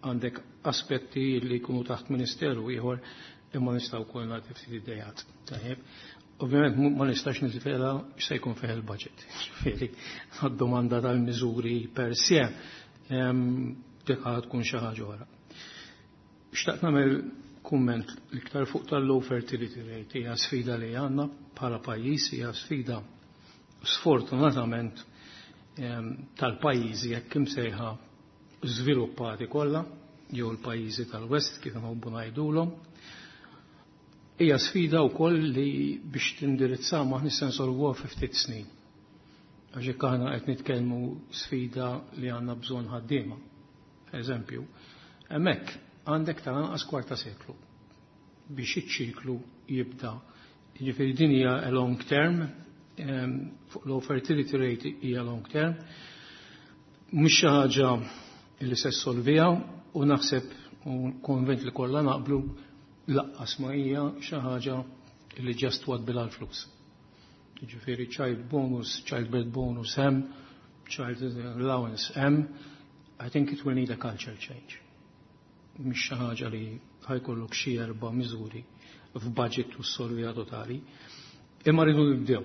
għandek aspetti li jkunu taħt ministeru ieħor, imma nistgħu wkoll nagħti ftit idejat. Tajjeb. Ovvjament ma nistax niżvela x'se jkun fih il-budget. Ġifieri għad-domanda tal-miżuri per se dik tkun xi ħaġa oħra. Xtaqt nagħmel kumment l-iktar fuq tal-low fertility rate. Hija sfida li għandna bħala pajjiż, hija sfida sfortunatament tal-pajjiżi jekk imsejħa żviluppati kollha jew l-pajjiżi tal-West, kif nħobbu ngħidulhom. Hija sfida wkoll li biex tindirizza ma nista' nsolvuha fi ftit snin. Għax jekk aħna qed nitkellmu sfida li għandna bżonn ħaddiema, eżempju, hemmhekk għandek tal-anqas kwarta seklu biex iċ-ċiklu jibda. Jiġifieri din hija a long term, fuq low fertility rate hija long term. Mhux xi ħaġa li se ssolviha u naħseb U konvint li kollha naqblu lanqas ma hija xi ħaġa li just twadbilha l-flus. Jiġifieri child bonus, child birth bonus hemm, child allowance hemm, I think it will need a culture change. Mhix xi ħaġa li ħa jkollok xi erba' miżuri f'budget u ssolviha totali. Imma rridu nibdew.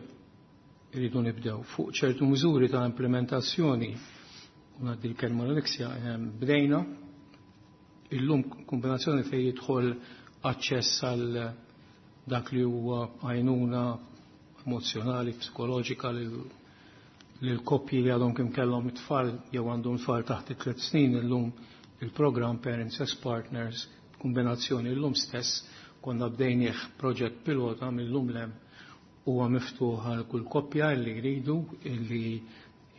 Irridu nibdew fuq ċertu miżuri ta' implementazzjoni u ngħaddi l-kelma l-Alexia, bdejna illum kombinazzjoni fejn jidħol aċċess għal dak li huwa għajnuna emozjonali, psikoloġika lil koppji li għadhom kemm kellhom it-tfal jew għandhom tfal taħt it-tliet snin. Illum il-program Parents as Partners, kombinazzjoni illum stess konna bdejnieh proġett pilota, mill-lum lem huwa miftuħ għal kull koppja li jridu illi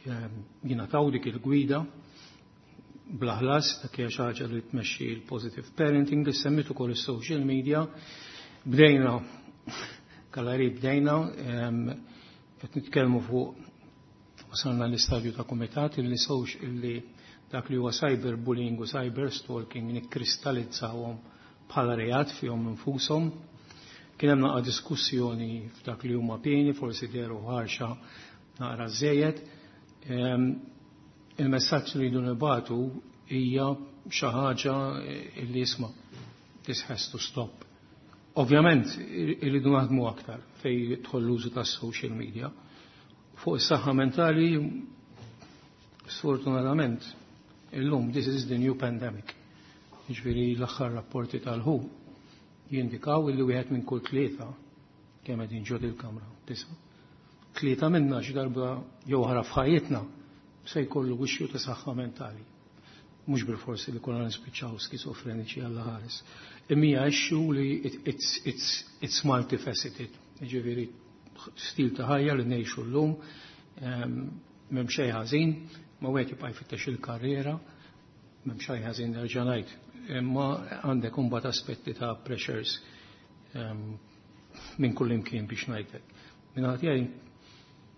jingħataw dik il-gwida bla ħlas. Dak hija xi ħaġa li tmexxi l-positive parenting li semmit ukoll is-social media. Bdejna kalari, bdejna qed nitkellmu fuq, wasalna l-istadju ta' kumitat illi sewx illi dak li huwa cyberbullying u cyber stalking nikkristalizzawhom bħala reat fihom infushom. Kien hemm naqa' diskussjoni f'dak li huma pieni, forsi dehru ħarxa naqra żejjed. Il-messaġġ li jridu nibagħtu hija xi ħaġa li isma' this has to stop. Ovvjament irridu naħdmu aktar fej jidħol l-użu tas-social media. Fuq is-saħħa mentali, sfortunatament, illum this is the new pandemic. Jiġifieri l-aħħar rapporti tal-W H O jindikaw illi wieħed minn kull tlieta, kemm qegħdin ġo il-kamra, tisa'. Tlieta minna xi darba jew oħra f'ħajjitna se jkollu issue ta' saħħa mentali. Mhux bil-forsi li kollha nispiċċaw skizofreniċi, Alla ħares. Imma hija issue li it's, it's, it's multifaceted. Jiġifieri stil ta' ħajja li ngħixu llum, m'hemm xejn ħażin, ma wieħed jibqa' jfittex il-karriera, m'hemm xejn ħażin, nerġa' ngħid. Imma għandek imbagħad aspetti ta' pressures minn kull imkien, biex ngħidlek. Minn tiegħi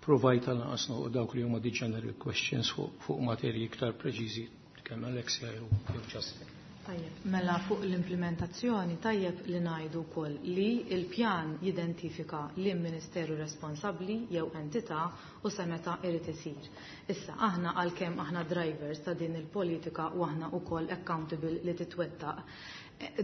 provajt għal dawk li huma di general questions. fuq fu materji iktar preċiżi kemm Alexia jew Justin. Tajjeb, mela fuq l-implementazzjoni tajjeb li ngħidu wkoll li il-pjan jidentifika li ministeru responsabbli jew entità u sa meta irid isir. Issa aħna, għalkemm aħna drivers ta' din il-politika u aħna wkoll accountable li titwettaq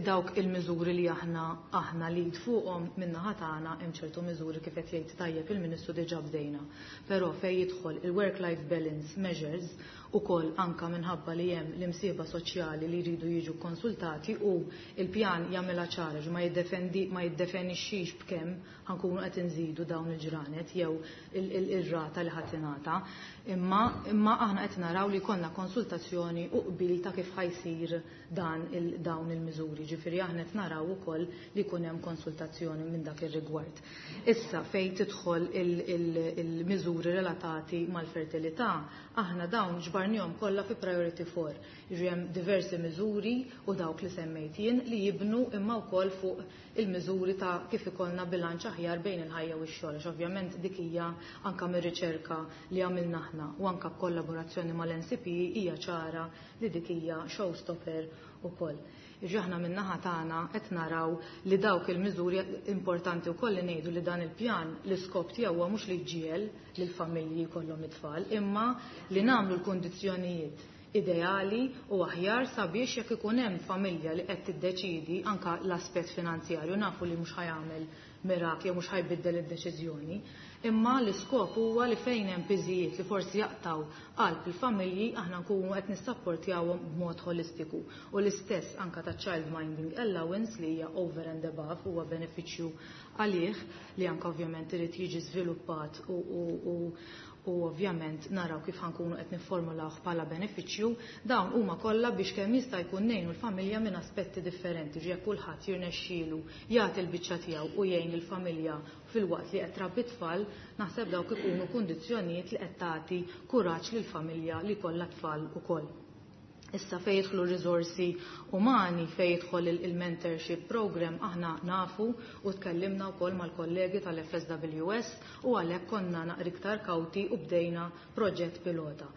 dawk il-miżuri li aħna aħna li fuqhom min-naħa tagħna, hemm ċertu miżuri, kif qed jgħid tajjeb il-Ministru, diġà bdejna. Però fejn jidħol il-work-life balance measures ukoll, anka minħabba li hemm l-imsieba soċjali li jridu jiġu konsultati u il-pjan jagħmilha ċara, ma jiddefendi ma jiddefinixxix b'kemm ħa nkunu qed inżidu dawn il-ġranet jew ir-rata li ħadd ingħata. Imma imma aħna qed naraw li jkollna konsultazzjoni u qbil ta' kif ħa jsir dan il dawn il-miżuri. Ġifieri aħna qed naraw ukoll li jkun hemm konsultazzjoni minn dak ir-rigward. Issa fejn tidħol il-miżuri relatati mal-fertilità, aħna dawn ġbarnihom kollha fi priority four. Jiġri hemm diversi miżuri u dawk li semmejt jien li jibnu imma wkoll fuq il-miżuri ta' kif ikollna bilanċ aħjar bejn il-ħajja u x-xogħol. Għax ovvjament dik hija anka mir-riċerka li għamilna aħna u anka b'kollaborazzjoni mal-N C P hija ċara li dik hija showstopper ukoll. Aħna min-naħa tagħna qed naraw li dawk il-miżuri importanti wkoll li ngħidu li dan il-pjan l-iskop tiegħu huwa mhux li jġiegħel lill-familji jkollhom it-tfal, imma li nagħmlu l-kundizzjonijiet ideali u aħjar sabiex jekk ikun hemm familja li qed tiddeċidi, anka l-aspett finanzjarju nafu li mhux ħa jagħmel mirakli jew mhux ħa jbiddel id-deċiżjoni. Imma l-iskop huwa li fejn hemm piżijiet li forsi jaqtaw qalb il-familji, aħna nkunu qed nissapportjawhom b'mod holistiku. U l-istess anka ta' child minding allowance li hija over and above, huwa benefiċċju għalih li anka ovvjament irid jiġi żviluppat u, u, u u ovvjament naraw kif ħa nkunu qed nifformulawh bħala benefiċċju. Dawn huma kollha biex kemm jista' jkun ngħinu l-familja minn aspetti differenti. Ġie kulħadd jirnexxielu jagħti l-biċċa tiegħu u jgħin il-familja filwaqt li qed trabbi tfal, naħseb dawk ikunu kundizzjonijiet li qed tagħti kuraġġ lill-familja li kollha tfal ukoll. Issa fej jidħlu risorsi umani, fej jidħol il-mentorship program, aħna nafu u tkellimna wkoll mal-kollegi tal-F S W S u għalhekk konna naqra iktar kawti u bdejna proġett pilota.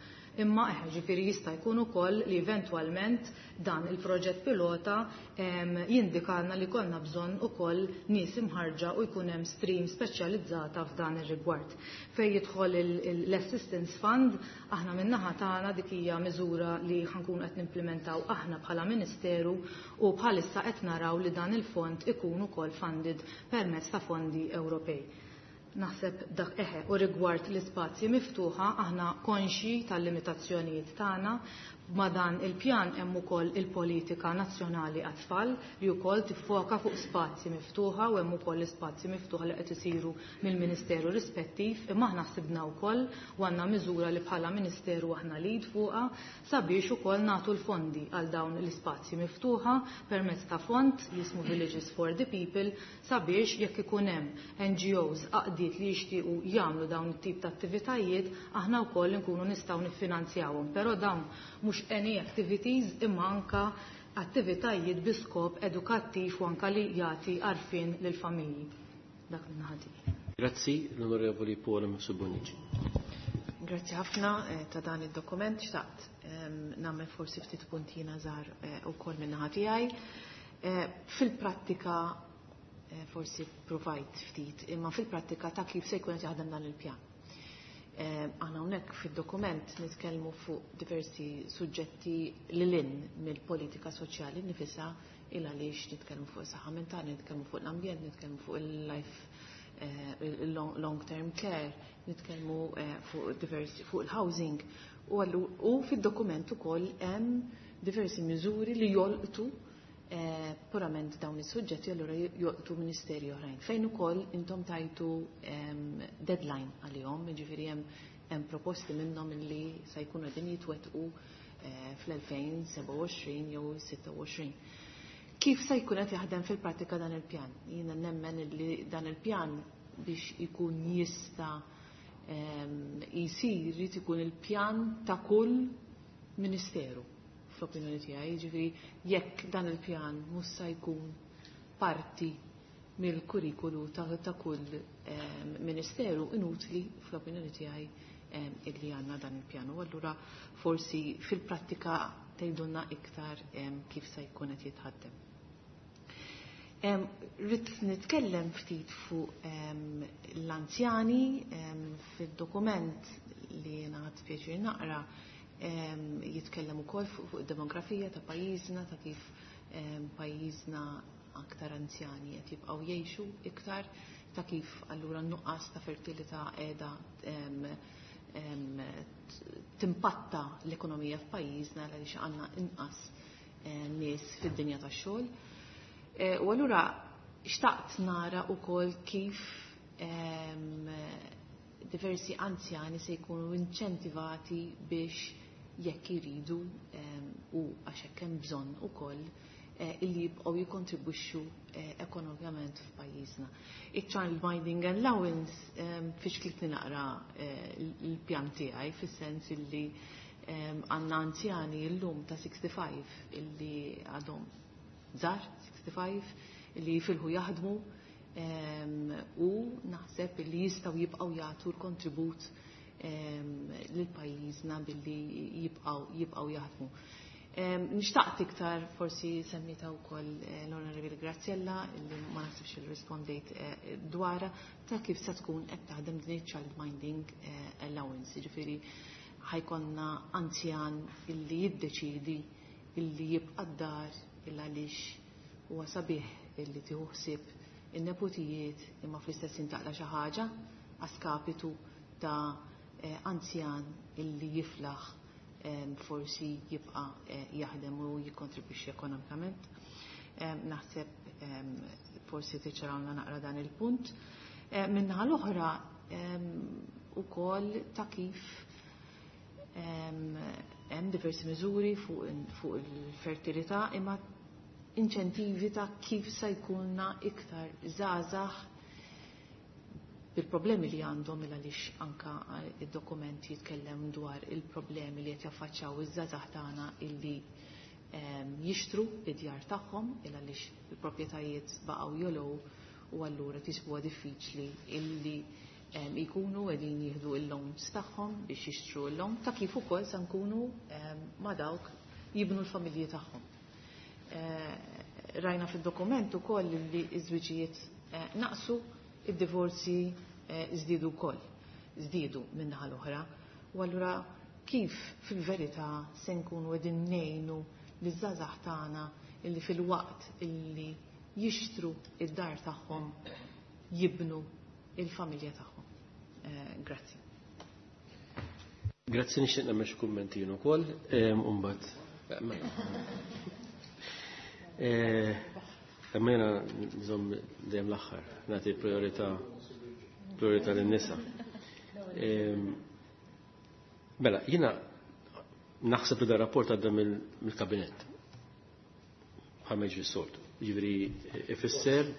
Imma eħe, ġifieri jista' jkun ukoll li eventwalment dan il-proġett pilota jindikalna li konna bżonn ukoll nies imħarġa u jkun hemm stream speċjalizzata f'dan ir-rigward. Fejn jidħol l-Assistance Fund, aħna min-naħa tagħna dik hija miżura li ħankun qed nimplementaw aħna bħala Ministeru u bħalissa qed naraw li dan il-fond ikun ukoll funded permezz ta' fondi Ewropej. Naħseb dak eħe u rigward l-ispazji miftuħa aħna konxi tal-limitazzjonijiet tagħna. Ma dan il-pjan hemm ukoll il-politika nazzjonali għat-tfal li wkoll tiffoka fuq spazji miftuħa u hemm ukoll l-ispazji miftuħa li qed isiru mill-Ministeru rispettiv, imma aħna ħsibna wkoll u għandna miżura li bħala Ministeru aħna lead fuqha sabiex ukoll nagħtu l-fondi għal dawn l-ispazji miftuħa permezz ta' fond jismu Villages for the People sabiex jekk ikun hemm N G Os għaqdiet li jixtiequ jagħmlu dawn it-tip ta' attivitajiet aħna wkoll inkunu nistgħu niffinanzjawhom, però dawn mhux any activities imma anka attivitajiet bi skop edukattiv u anka li jagħti għarfien lill-familji. Dak minn ħadd. Grazzi l-Onorevoli Paul Subonici. Grazzi ħafna ta' dan id-dokument. Xtaqt nagħmel forsi ftit puntina żgħar ukoll minn naħa tiegħi. Fil-prattika forsi provajt ftit, imma fil-prattika ta' kif se jkun qed jaħdem dan il-pjan. Aħna hawnhekk fid-dokument nitkellmu fuq diversi suġġetti lil hinn mill-politika soċjali nifisha, il għaliex nitkellmu fuq saħħa mentali, nitkellmu fuq l-ambjent, nitkellmu fuq il-life, il-long term care, nitkellmu fuq diversi, fuq il-housing. U allu, u fid-dokument ukoll hemm diversi miżuri li jolqtu purament dawn is-suġġetti, allura jolqtu ministeri oħrajn. Fejn ukoll intom tajtu deadline għalihom, jiġifieri hemm, hemm proposti minnhom li se jkunu qegħdin jitwettqu fl-elfejn seba' u għoxrin jew sitta u għoxrin. Kif se jkun qed jaħdem fil-prattika dan il-pjan? Jiena nemmen li dan il-pjan biex ikun jista' jsir irid ikun il-pjan ta' kull ministeru fl-opinjoni tiegħi, jiġifieri jekk dan il-pjan mhux se jkun parti mill-kurrikulu ta', ta' kull ministeru, inutli fl-opinjoni tiegħi illi għandna dan il-pjan. U allura forsi fil-prattika tgħidulna iktar kif se jkun qed jitħaddem. Rrid nitkellem ftit fuq l-anzjani fid-dokument li jiena ħadt pjaċir naqra. Jitkellem ukoll fuq, fuq id-demografija ta' pajjiżna, ta' kif pajjiżna aktar anzjani qed jibqgħu jgħixu iktar, ta' kif allura n-nuqqas ta' fertilità qiegħda timpatta l-ekonomija f'pajjiżna għaliex għandna inqas nies fid-dinja tax-xogħol. E, u allura xtaqt nara wkoll kif diversi anzjani se jkunu inċentivati biex jekk iridu u għax hekk hemm bżonn ukoll illi jibqgħu jikkontribwixxu ekonomikament f'pajjiżna. Iċ-child minding allowance fiex klitni naqra l-pjan tiegħi fis-sens illi għandna anzjani llum ta' sixty-five illi għadhom żgħar, sixty-five, illi jifilħu jaħdmu u naħseb illi jistgħu jibqgħu jagħtu l-kontribut lil pajjiżna billi jibqgħu, jibqgħu jaħdmu. Nixtaqt iktar forsi semmita wkoll l-Onorevoli Graziella illi ma naħsibx li rispondejt dwarha ta' kif se tkun qed taħdem din il-child minding allowance, jiġifieri ħajkonna anzjan illi jiddeċidi illi jibqa' d-dar illa għaliex huwa sabiħ illi tieħu ħsieb in-nepotijiet imma fl-istess intaqla xi ħaġa għaskapitu ta' anzjan illi jiflaħ forsi jibqa' jaħdem u jikkontribwixxi ekonomikament. Naħseb forsi tiċċarawna naqra dan il-punt. Min-naħa l-oħra ukoll ta' kif hemm diversi miżuri fuq il-fertilità imma inċentivi ta' kif se jkunna iktar żgħażagħ bil-problemi li għandhom il għaliex anka id-dokument jitkellem dwar il-problemi li qed jaffaċċjaw iż-żgħażagħ tagħna illi jixtru id-djar tagħhom il għaliex il-proprjetajiet baqgħu jolow u allura tisbuha diffiċli illi jkunu qegħdin jieħdu l-loans tagħhom biex jixtru l-loan, ta' kif ukoll se nkunu ma' dawk jibnu l-familji tagħhom. Rajna fid-dokument ukoll li ż-żwiġijiet naqsu, id-divorzi żdiedu wkoll, żdiedu min-naħa l-oħra. U allura kif fil-verità se nkunu qegħdin ngħinu liż-żgħażagħ tagħna illi fil-waqt illi jixtru id-dar tagħhom jibnu il-familja tagħhom. Grazzi. Grazzi, nixtieq nagħmel xi kummenti jien ukoll, u mbagħad imma jiena nżomm dejjem l-aħħar, nagħti priorità priorità lin-nisa. Mela, jiena naħseb li dar rapport għadda mill-kabinett. Bħal ma jiġri s-soltu. Jiġifieri ifisser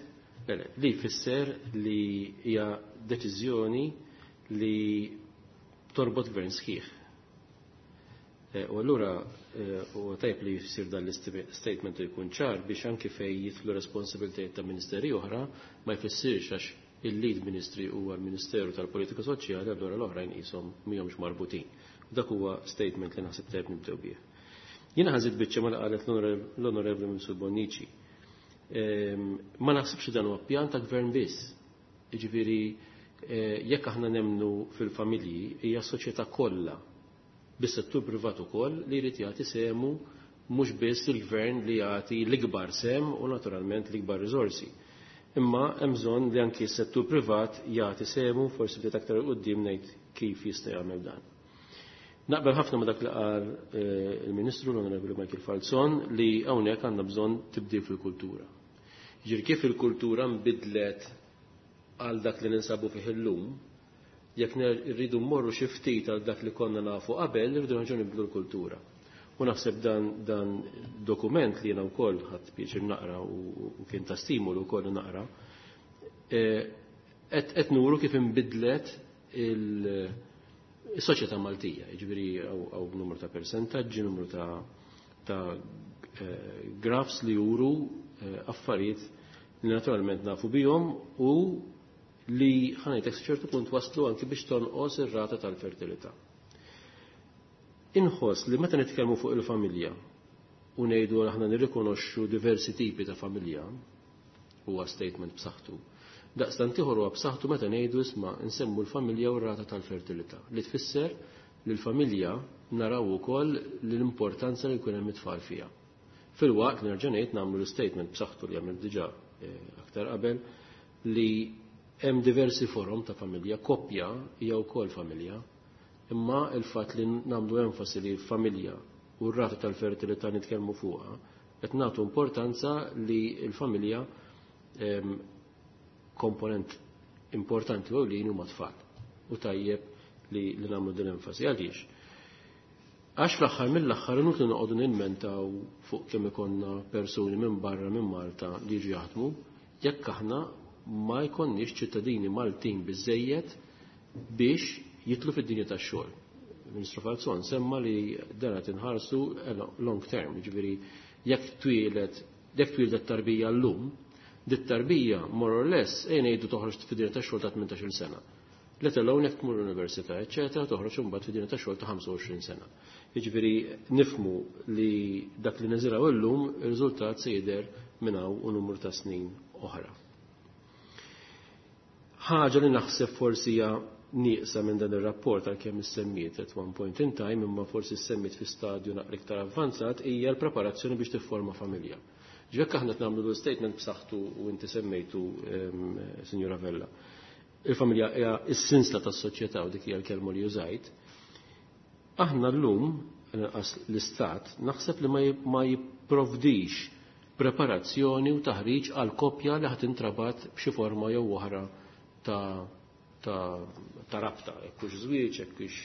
li jfisser li hija deċiżjoni li torbot gvern sħiħ. U allura huwa tajjeb li jsir dan l-statement u jkun ċar biex anki fejn jidħlu responsabilitajiet ta' ministeri oħra ma jfissirx għax il-lead ministry huwa l-Ministeru tal-Politika Soċjali, allura l-oħrajn qishom mihomx marbutin. Dak huwa statement li naħseb tajjeb nibdew bih. Jiena ħażit biċċa ma qalet l-Onorevoli Ministru Bonnici. Ma naħsibx dan huwa pjan ta' gvern biss. Jiġifieri jekk aħna nemnu fil-familji hija s-soċjetà kollha bis-settur privat ukoll li jrid jagħti sehmu, mhux biss il-gvern li jagħti l-ikbar sehem u naturalment l-ikbar riżorsi. Imma hemm bżonn li anki s-settur privat jagħti sehmu, forsi ftit aktar 'il quddiem ngħid kif jista' jagħmel dan. Naqbel ħafna ma dak li qal il-Ministru l-Onorevoli Michael Falzon li hawnhekk għandna bżonn tibdil fil-kultura. Jiġifieri kif il-kultura nbidlet għal dak li ninsabu fih illum, jekk rridu mmorru xi ftit għal dak li konna nafu qabel, irridu nerġgħu nibdlu l-kultura. U naħseb dan, dan dokument li jiena wkoll ħadd pjaċir naqra u kien ta' stimolu wkoll naqra, qed nuru kif inbidlet il-soċjetà Maltija, jiġifieri hawn numru ta' persentaġġi, numru ta' ta' graphs li juru affarijiet li naturalment nafu bihom u li ħanajtek ċertu punt waslu anki biex tonqos ir-rata tal-fertilità. Inħoss li meta nitkellmu fuq il-familja u ngħidu aħna nirrikonoxxu diversi tipi ta' familja, huwa statement b'saħħtu. Daqstant ieħor huwa b'saħħtu meta ngħidu isma' nsemmu l-familja u r-rata tal-fertilità, li tfisser li l-familja naraw ukoll l-importanza li jkun hemm it-tfal fiha. Fil-waqt li nerġa' ngħid nagħmlu l-statement b'saħħtu li għamil diġà aktar qabel li hemm diversi forom ta' familja, koppja hija wkoll familja, imma il-fatt li nagħmlu enfasi li l-familja u r-rata tal-fertilità nitkellmu fuqha, qed nagħtu importanza li l-familja komponent importanti u li huma tfal. U tajjeb li, li nagħmlu din enfasi. Għaliex? Għax fl-aħħar mill-aħħar inutli noqogħdu nilmentaw fuq kemm ikollna persuni minn barra minn Malta li jiġu jaħdmu, jekk aħna ma jkollniex ċittadini Maltin biżejjed biex jitlu fid-dinja tax-xogħol. Ministru Falzon semma li dan qed inħarsu long term, jiġifieri jekk twieled jekk twieldet tarbija llum, dit tarbija more or less ejn ngħidu toħroġ fid-dinja tax-xogħol ta' tmintax-il sena. Let alone jekk tmur l-università, eċċetera, toħroġ imbagħad fid-dinja tax-xogħol ta' ħamsa u għoxrin sena. Jiġifieri nifhmu li dak li niżraw illum ir-riżultat se jidher minn hawn u numru ta' snin oħra. Ħaġa li naħseb forsi hija nieqsa minn dan ir-rapport għalkemm issemmiet at one point in time, imma forsi ssemmiet fi stadju naqra iktar avvanzat, hija l-preparazzjoni biex tifforma familja. Ġifieri aħna qed nagħmlu l-statement b'saħħtu u inti semmejtu, Sinjura Vella. Il-familja hija s-sinsla tas-soċjetà u dik hija l-kelma li użajt. Aħna llum l-istat naħseb li ma jipprovdix preparazzjoni u taħriġ għal koppja li ħadd intrabat b'xi forma jew oħra ta' ta' ta' rabta, jekk hux żwieġ, jekk hux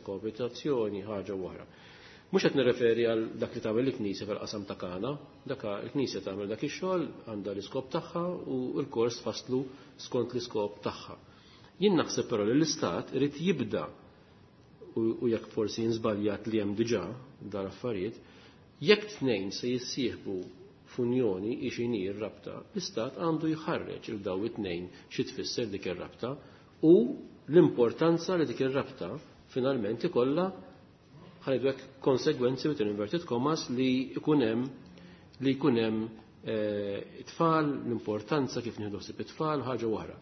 koabitazzjoni, ħaġa oħra. Mhux qed nirreferi għal dak li tagħmel il-Knisja fil-qasam ta' Kana, dak il-Knisja tagħmel dak ix-xogħol, għandha l-iskop tagħha u l-kors tfasslu skont l-iskop tagħha. Jien naħseb però li l-Istat irid jibda u jekk forsi jinżbaljat li hemm diġà dar affarijiet, jekk tnejn se jissieħbu f'unjoni ixini r-rabta, l-Istat għandu jħarreġ il daw it-tnejn xi tfisser dik ir-rabta, U l-importanza li dik ir-rabta finalment ikollha, ħa ngħidu hekk, konsegwenzi within inverted commas li jkun hemm li jkun hemm eh, it-tfal, l-importanza kif nieħdu ħsieb it-tfal, ħaġa oħra.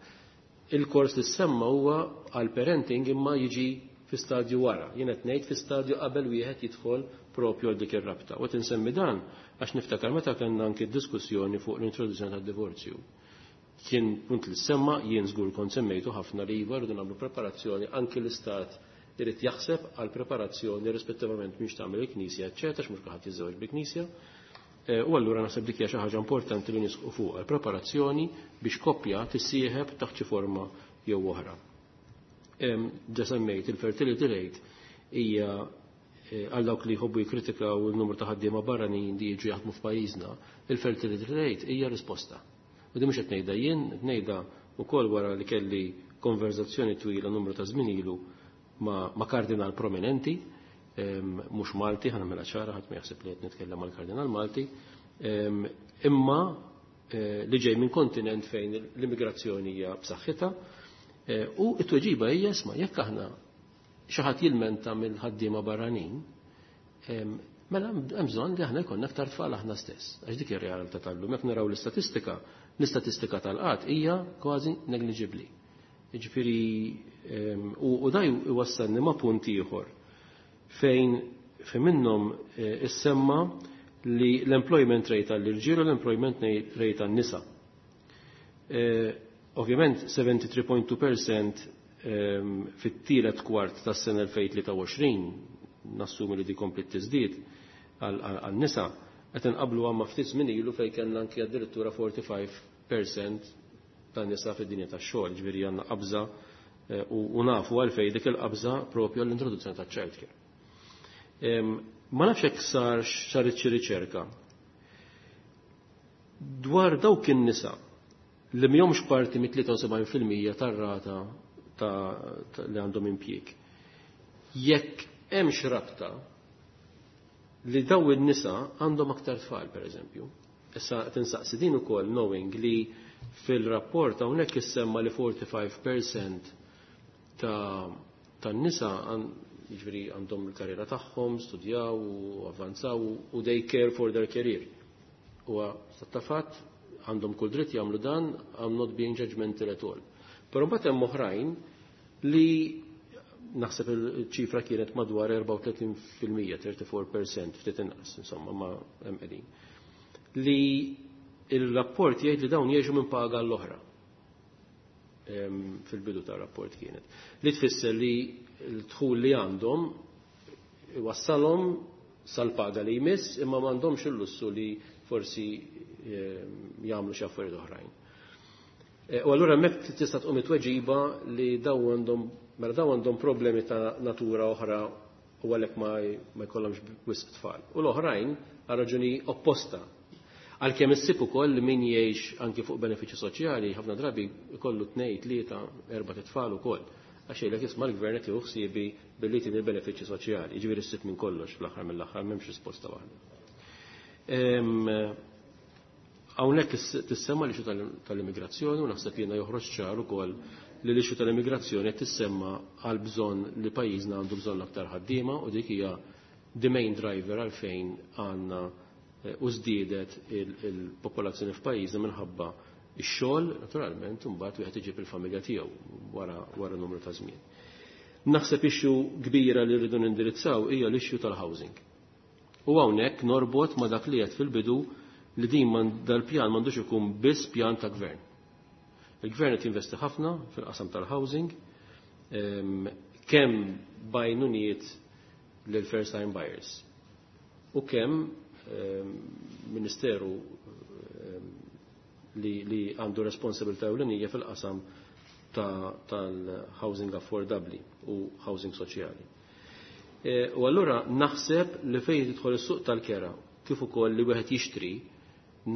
Il-kors li semma huwa għal parenting imma jiġi fi stadju wara. Jien qed ngħid fi stadju qabel wieħed jidħol propju għal dik ir-rabta. U tinsemmi dan għax niftakar meta kellna anke diskussjoni fuq l-introduzzjoni tad-divorzju. Kien punt li semma, jien żgur kont semmejtu ħafna, li iva, rridu nagħmlu preparazzjoni, anke l-istat irid jaħseb għal preparazzjoni rispettivament mhix tagħmel il-Knisja, eċċetera, x'mhux kulħadd jiżżewġ bil-Knisja. Eh, u allura naħseb dik hija xi ħaġa importanti li nisqu fuq il-preparazzjoni biex koppja tissieħeb taħt xi forma jew oħra. Ġa semmejt il-fertility rate hija eh, għal dawk li jħobbu jikkritikaw il-numru ta' ħaddiema barranin li jiġu jaħdmu f'pajjiżna, il-fertility rate hija risposta. U di mhux qed ngħidha jien, qed ngħidha wkoll wara li kelli konverzazzjoni twila numru ta' żmien ilu ma', ma kardinal prominenti, mhux Malti, ħa nagħmilha ċara, ħadd ma jaħseb li qed nitkellem mal kardinal Malti, imma eh, li ġej minn kontinent fejn l-immigrazzjoni hija b'saħħitha, eh, u t-tweġiba hija: isma', jekk aħna xi ħadd jilmenta mill-ħaddiema barranin, mela hemm bżonn li aħna jkollna aktar tfal aħna stess. Għax dik ir-realtà tal-lum, jekk naraw l-istatistika, l-istatistika tal-qatt hija kważi negliġibbli. Jiġifieri u da jwassalni ma' punt ieħor fejn fejn minnhom eh, issemma li l-employment rate għall-irġiel u l-employment rate għan-nisa. Eh, ovvjament tnejn u sebgħin punt tnejn fil-mija fit-tielet kwart tas-sena elfejn u tlieta u għoxrin, nassumi li di kompli tiżdied għan-nisa, qed inqablu għamma ftit żmien ilu fejn kellna anki addirittura erbgħa u erbgħin fil-mija ta' nisa fid-dinja tax-xogħol, ġifieri għandna qabża eh, u nafu għalfejn dik il-qabża, propju għall-introduzzjoni ta' childcare. Ma nafx hekk sar saret xi riċerka dwar dawk in-nisa li mhomx parti mit-tlieta u sebgħin fil-mija tar-rata ta' li għandhom impjieg. Jekk hemmx rabta li daw in-nisa għandhom aktar tfal, per eżempju. Issa tinsaqsi din ukoll knowing li fil-rapport hawnhekk issemma li erbgħa u erbgħin fil-mija ta' tan-nisa, jiġifieri, għandhom il-karriera tagħhom, studjaw u avvanzaw u they care for their career. Huwa ta' fatt, għandhom kull dritt jagħmlu dan, I'm not being judgmental at all. Però mbagħad hemm oħrajn li naħseb il-ċifra kienet madwar erbgħa u tletin fil-mija, erbgħa u tletin fil-mija, ftit inqas, insomma, ma hemm qegħdin. Li il-rapport jgħid li dawn jgħixu minn paga l-oħra. Fil-bidu tar-rapport kienet. Li tfisser li l-dħul li għandhom wassalhom sal-paga li jmiss, imma m'għandhomx il-lussu li forsi jagħmlu xi affarijiet oħrajn. E, u allura hemmhekk tista' tqum it-tweġiba li daw għandhom, mela daw għandhom problemi ta' natura oħra u għalhekk ma jkollhomx wisq tfal. U l-oħrajn għal raġuni opposta. Għalkemm issib ukoll li min jgħix anki fuq benefiċċji soċjali ħafna drabi jkollu tnejn, tlieta, erba' tfal ukoll. Għax jgħidlek: isma', l-gvern qed jieħu ħsiebi billi tini l-benefiċċji soċjali. Jiġifieri ssib minn kollox, fl-aħħar mill-aħħar m'hemmx risposta waħda. Hawnhekk tissemma l-issue tal-immigrazzjoni u naħseb jiena joħroġ ċar ukoll li l-issue tal-immigrazzjoni qed tissemma għal bżonn li pajjiżna għandu bżonn aktar ħaddiema, u dik hija the main driver għalfejn għandna eh, u żdiedet il-popolazzjoni f'pajjiżna minħabba ix-xogħol, naturalment, imbagħad wieħed iġib il-familja tiegħu wara wara numru ta' żmien. Naħseb issue kbira li rridu nindirizzaw hija l-issue tal-housing. U hawnhekk norbot ma' dak li qed fil-bidu li din dal-pjan m'għandux ikun biss pjan ta' gvern. Il-gvern qed jinvesti ħafna fil-qasam tal-housing, kemm b'għajnuniet lil first time buyers u kemm ministeru li, li għandu responsabilità ewlenija fil-qasam tal-housing affordabli u housing soċjali. E, u allura naħseb li fejn tidħol is-suq tal-kera kif ukoll li wieħed jixtri,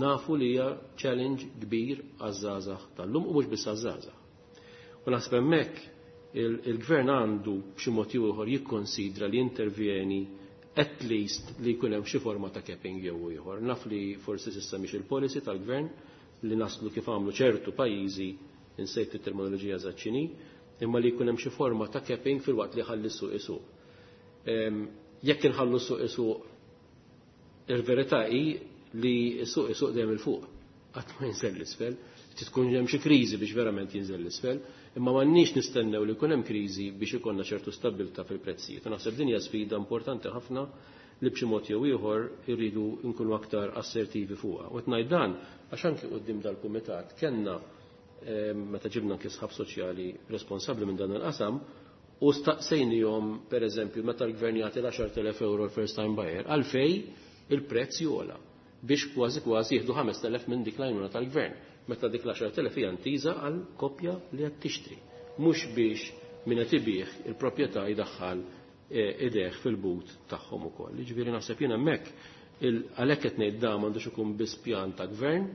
nafu li hija challenge kbir għaż-żgħażagħ tal-lum u mhux biss għaż-żgħażagħ. U naħseb hemmhekk il-gvern għandu b'xi mod ieħor jikkonsidra li intervjeni, at least li jkun hemm xi forma ta' capping jew ieħor. Naf li forsi s'issa mhix il-policy tal-gvern li naslu kif għamlu ċertu pajjiżi, insejt it-terminoloġija zaċċini, Imma li jkun hemm xi forma ta' capping filwaqt li ħalli s-suq isuq. Jekk inħallu s-suq isuq, il-verità hi li s-suq isuq dejjem 'il fuq, qatt ma jinżel l-isfel, tkun hemm xi kriżi biex verament jinżel l-isfel, imma m'għandniex nistennew li jkun hemm kriżi biex ikollna ċertu stabbiltà fil-prezzijiet. U naħseb din hija sfida importanti ħafna li b'xi mod jew ieħor irridu nkunu aktar assertivi fuqha. U qed ngħid dan għax anki quddiem dal-kumitat kellna meta ġibna anki sħab soċjali responsabbli minn dan il-qasam u staqsejnihom pereżempju meta l-gvern jagħti l-għaxart elef euro l-first time buyer għalfej il-prezz jogħla biex kważi kważi jieħdu ħamest elef minn dik l-għajnuna tal-gvern. Meta dik l-għaxart elef hija ntiża għal koppja li qed tixtri, mhux biex min qed ibih il-proprjetà jdaħħal idejh fil-but tagħhom ukoll. Jiġifieri naħseb jien hemmhekk għalhekk qed ngħid dan m'għandux ikun biss pjan ta' gvern,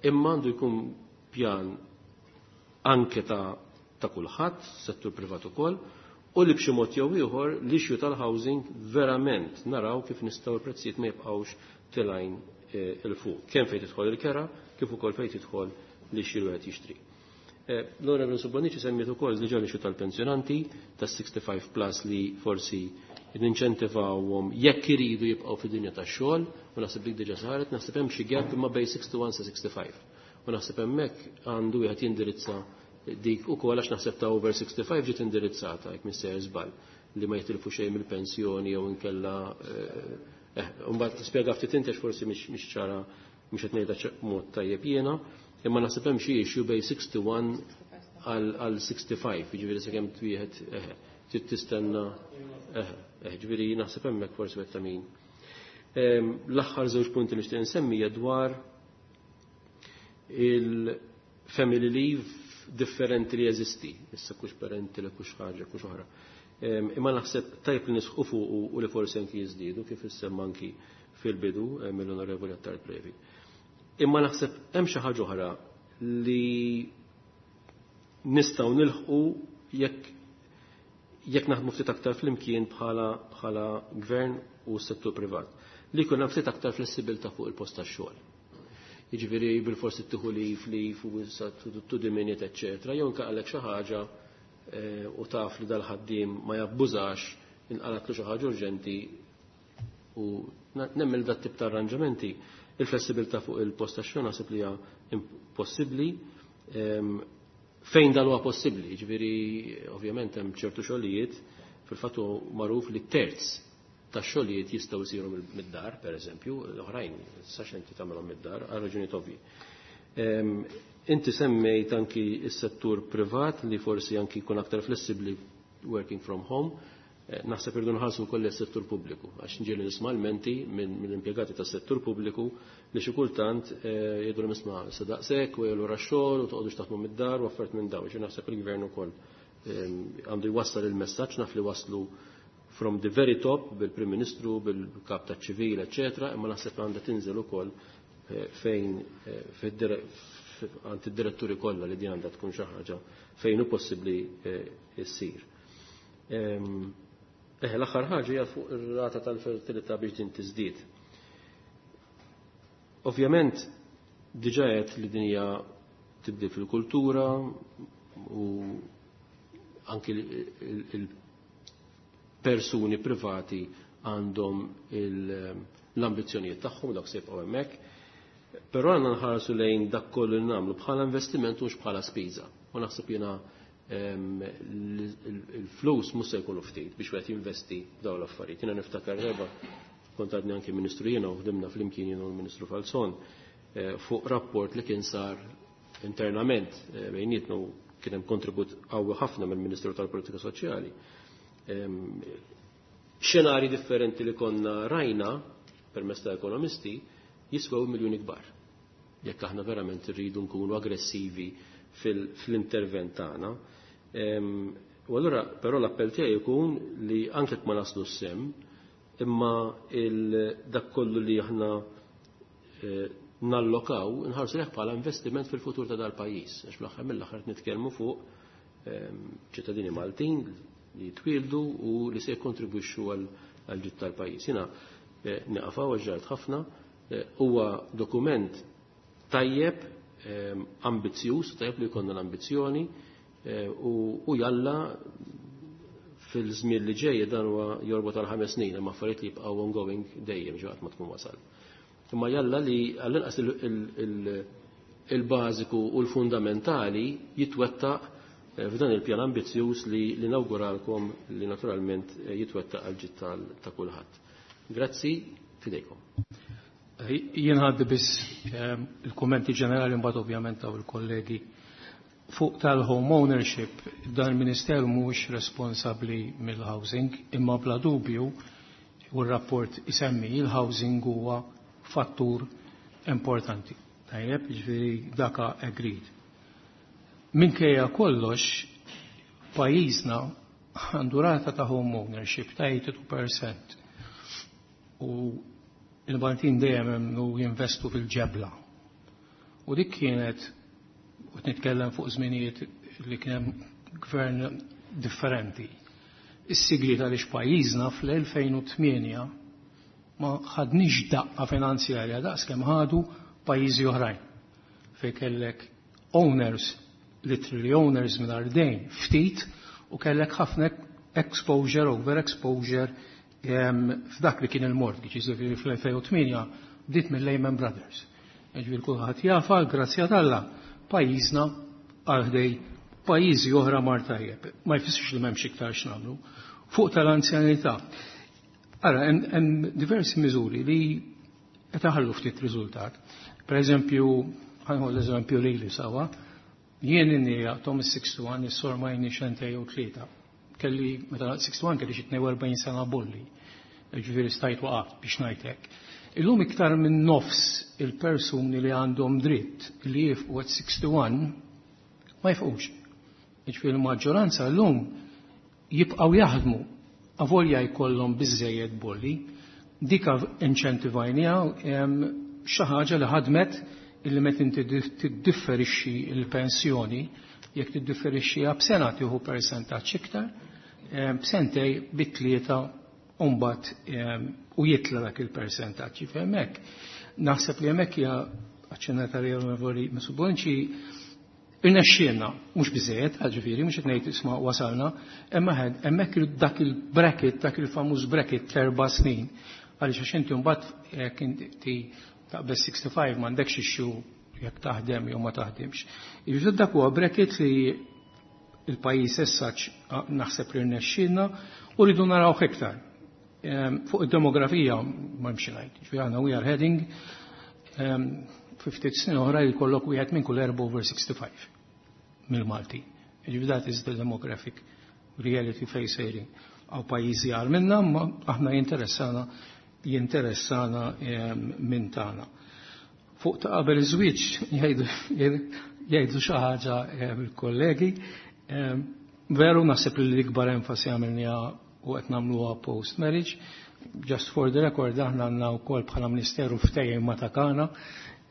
imma għandu jkun pjan anke ta' ta' kulħadd, settur privat ukoll, u li b'xi mod jew ieħor l-issue tal-housing verament naraw kif nistgħu l-prezzijiet ma jibqgħux tilgħin il fuq, kemm fejn tidħol il-kera, kif ukoll fejn tidħol li xi wieħed jixtri. L-Onorevoli Bonnici semmiet ukoll diġà l-issue tal-pensjonanti tas-sixty-five plus li forsi ninċentivawhom jekk iridu jibqgħu fid-dinja tax-xogħol, u naħseb dik diġà saret, naħseb hemm xi gap imma bejn sixty-one sa sixty-five. U naħseb hemmhekk għandu wieħed jindirizza dik ukoll għax naħseb ta' over sixty-five ġiet indirizzata jekk missejjer żball li ma jitilfu xejn mill-pensjoni jew inkella, eh, mbagħad tispjega ftit inti forsi mhix ċara, mhux qed ngħidha mod tajjeb jiena, imma naħseb hemm xi issue bejn sixty-one għal sixty-five, jiġifieri sakemm wieħed, eh, trid tistenna, eh, eh, jiġifieri naħseb hemmhekk forsi wieħed ta' min. Ehm, l-aħħar żewġ punti li nixtieq insemmi hija dwar il-family leave differenti li jeżisti, issa kux parenti li kux ħaġa, kux oħra. Ehm, imma naħseb tajb li nisħu fuq u li forsi anki jiżdiedu kif issemma anki fil-bidu, eh, mill-Onorevoli Attard Previ. Imma naħseb hemm xi ħaġa oħra li nistgħu nilħqu jekk, jekk naħdmu ftit aktar flimkien bħala, bħala gvern u settur privat, li jkun hemm ftit aktar flessibilità fuq il-post tax-xogħol. Jiġifieri bil-forsi tieħu leave, leave u issa to the minute, eċċetera, jew inqalek xi ħaġa, eh, u taf li dal-ħaddiem ma jabbużax, inqalatlu xi ħaġa urġenti u nemmen dat tip ta' arranġamenti. Il-flessibilità fuq il-post tax-xogħol naħseb li hija impossibbli. Ehm, fejn dan huwa possibbli, jiġifieri ovvjament hemm ċertu xogħlijiet, fil-fatt huwa magħruf li terz tax-xogħlijiet jistgħu jsiru mid-dar, pereżempju, l-oħrajn sax inti tagħmelhom mid-dar għal raġunijiet ovvji. Ehm, inti semmejt anki s-settur privat li forsi anki jkun aktar flessibbli working from home. Eh, naħseb irdu nħarsu wkoll is-settur pubbliku, għax nġieli nisma' l-menti minn, mill-impjegati tas-settur pubbliku li xi kultant, eh, jgħidu nisma' se daqshekk u jgħidu x-xogħol u toqgħodux taħdmu mid-dar u affarijiet minn dawn. Ġifieri naħseb il-gvern ukoll, ehm, għandu jwassal il-messaġġ, naf li waslu from the very top bil-Prim Ministru, bil-Kap taċ-Ċivil, eċċetera, imma naħseb għandha tinżel ukoll, eh, fejn, eh, fid-dire-, għand id-diretturi kollha li din għandha tkun xi ħaġa fejn hu possibbli, eh, issir. Ehm, eh, l-aħħar ħaġa hija fuq ir-rata tal-fertilità biex din tiżdied. Ovvjament diġà qed li din hija tibdil fil-kultura u anki il-persuni privati għandhom l-ambizzjonijiet tagħhom dak se jibqgħu hemmhekk. Però għandna nħarsu lejn dak kollu li nagħmlu bħala investiment u mhux bħala spiża. U naħseb jiena, ehm, il-flus mhux se jkunu ftit biex wieħed jinvesti dawn l-affarijiet. Jiena niftakar darba kont għadni anki Ministru jiena u ħdimna flimkien jiena u l-Ministru Falzon, eh, fuq rapport li kien sar internament, eh, bejnietna u kien hemm kontribut qawwi ħafna mill-Ministru tal-Politika Soċjali. Ehm, xenari differenti li konna rajna permezz ta' ekonomisti jiswew miljuni kbar. Jekk aħna verament irridu nkunu aggressivi fil-, fl-intervent tagħna. Ehm, u allura però l-appell tiegħi jkun li anke jekk ma naslu s-sem, imma il-, dak kollu li aħna, eh, nallokaw nħarsu leh bħala investiment fil-futur ta' dal-pajjiż. Għax fl-aħħar mill-aħħar nitkellmu fuq, ehm, ċittadini Maltin li jitwieldu u li se jikkontribwixxu għal, għal ġid tal-pajjiż. Jiena, eh, nieqaf hawn għax ġart ħafna, eh, huwa dokument tajjeb, ehm, ambizzjuż, tajjeb li jkollna l-ambizzjoni, U jalla fil-żmien li ġej dan huwa jorbot għal ħames snin, imma affarijiet li jibqgħu ongoing dejjem ġo qatt ma tkun wasal. Imma jalla li għall-inqas il-bażiku u l-fundamentali jitwettaq f'dan il-pjan ambizzjuż li, li nawguralkom li naturalment jitwettaq għal ġid ta' kulħadd. Grazzi, fidejkom. Jien ħaddi biss il-kummenti ġenerali, mbagħad ovvjament taw il-kollegi. Fuq tal-home ownership, dan il-Ministeru mhuwiex responsabbli mill-housing, imma bla dubju u r-rapport isemmi il-housing huwa fattur importanti. Tajjeb, jiġifieri daka agreed. Minkejja kollox, pajjiżna għandu rata ta' home ownership ta' tnejn u tmenin fil-mija. U il-Maltin dejjem emmnu jinvestu fil-ġebla. U dik kienet, u nitkellem fuq żminijiet li kien hemm gvern differenti. Is-sigriet għaliex pajjiżna fl-elfejn u tmienja ma ħadniex daqqa finanzjarja daqs kemm ħadu pajjiżi oħrajn. Fej kellek owners, literally owners minn dejn ftit, u kellek ħafna exposure, over exposure f'dak li kien il-mortgage, jiġifieri fl-elfejn u tmienja bdiet mill Lehman Brothers. Jiġifieri kulħadd jafa, grazzja t'Alla, pajjiżna għal ħdej pajjiżi oħra mar tajjeb. Ma jfissirx li m'hemmx iktar x'nagħmlu. Fuq tal-anzjanità. Ara, hemm diversi miżuri li qed iħallu ftit riżultat. Per eżempju, ħa nieħu l-eżempju lili sawa, jien inni tom is-wieħed u sittin, is-sor ma jini xentej u tlieta. Kelli, meta wieħed u sittin kelli xi tnejn u erbgħin sena bolli. Ġifieri stajt waqaf biex ngħidlek. Illum iktar minn nofs il-persuni li għandhom dritt li jifqu at wieħed u sittin ma jifqux. Ġifieri l-maġġoranza llum jibqgħu jaħdmu avolja jkollhom biżejjed bolli, dika inċentivajnija xi ħaġa li ħadmet, illi meta inti tiddifferixxi il-pensjoni, jekk tiddifferixxiha b'sena tieħu persentaġġ iktar, b'sentej, bit-tlieta u mbagħad u jitla dak il-persentaġġ. Hemmhekk naħseb li hemmhekk hija aċċennata li Onorevoli Mifsud irnexxielna, mhux biżejjed, ġifieri, mhux qed ngħid isma' wasalna, imma hemmhekk dak il-bracket, dak il-famuż bracket terba' snin, għaliex għax inti mbagħad jekk inti taqbeż ħamsa u sittin m'għandekx issue jekk taħdem jew ma taħdimx. Jiġifieri dak huwa bracket li il-pajjiż issa naħseb li rnexxielna u rridu naraw iktar. Fuq id-demografija ma hemmx ngħid, ġifieri aħna we are heading ftit snin oħra jkollok wieħed minn kull erba' over sixty-five mill-Malti. Ġifieri that is the demographic reality facing għaw pajjiżi għal minna, ma aħna jinteressana jinteressana minn tagħna. Fuq ta' qabel iż-żwieġ jgħidu xi ħaġa il-kollegi. Veru naħseb li l-ikbar enfasi għamilniha u qed nagħmluha post marriage. Just for the record, aħna għandna wkoll bħala Ministeru ftehim ma' Takana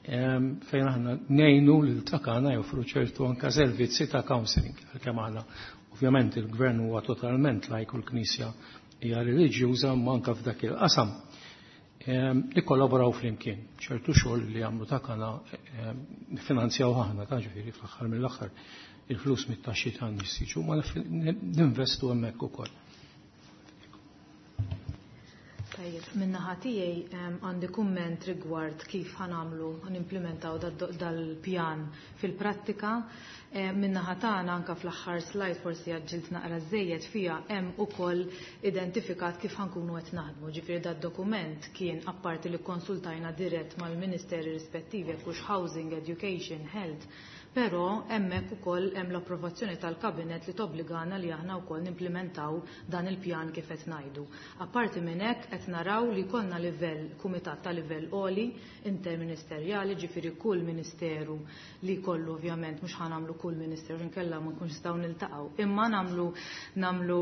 fejn aħna ngħinu lil Takana joffru ċertu anka servizzi ta' counseling, għalkemm aħna ovvjament il-gvern huwa totalment lajk u l-Knisja hija reliġjuża, ma anka f'dak il-qasam li kollaboraw flimkien. ċertu xogħol li għamlu Takana finanzjaw aħna ta', ġifieri fl-aħħar mill-aħħar il-flus mit-taxxi tan-nies jiġu, ma ninvestu hemmhekk ukoll. Tajjeb, min-naħa tiegħi għandi kumment rigward kif ħa nagħmlu ħanimplementaw dal-pjan fil-prattika. Min-naħa tagħna anke fl-aħħar slide, forsi għaġġilt naqra żejjed fija, hemm ukoll identifikat kif ħankunu qed naħdmu. Ġifieri dad-dokument kien apparti li konsultajna dirett mal-ministeri rispettivi, jekk hux housing, education, health, però hemmhekk ukoll hemm l-approvazzjoni tal-kabinet li tobbligana li aħna wkoll nimplementaw dan il-pjan kif qed ngħidu. Apparti minn hekk qed naraw li jkollna livell kumitat ta' livell għoli interministerjali, ġifieri kull ministeru li jkollu, ovvjament mhux ħa nagħmlu kull ministeru, inkella ma nkunx nistgħu niltaqgħu, imma nagħmlu nagħmlu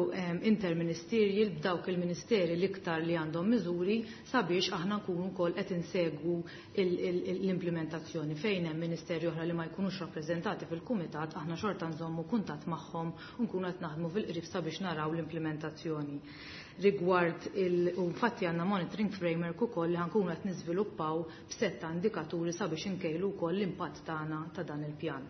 interministerjal b'dawk il-ministeri l-iktar li għandhom miżuri sabiex aħna nkunu wkoll qed insegwu l-implementazzjoni. Fejn hemm ministeri oħra li ma jkunux rappreżentati fil-kumitat, aħna xorta nżommu kuntatt magħhom u nkunu qed naħdmu fil-qrib sabiex naraw l-implementazzjoni. Rigward il u infatti għandna monitoring framework ukoll li ħankunu qed niżviluppaw b'setta indikaturi sabiex inkejlu wkoll l-impatt tagħna ta' dan il-pjan.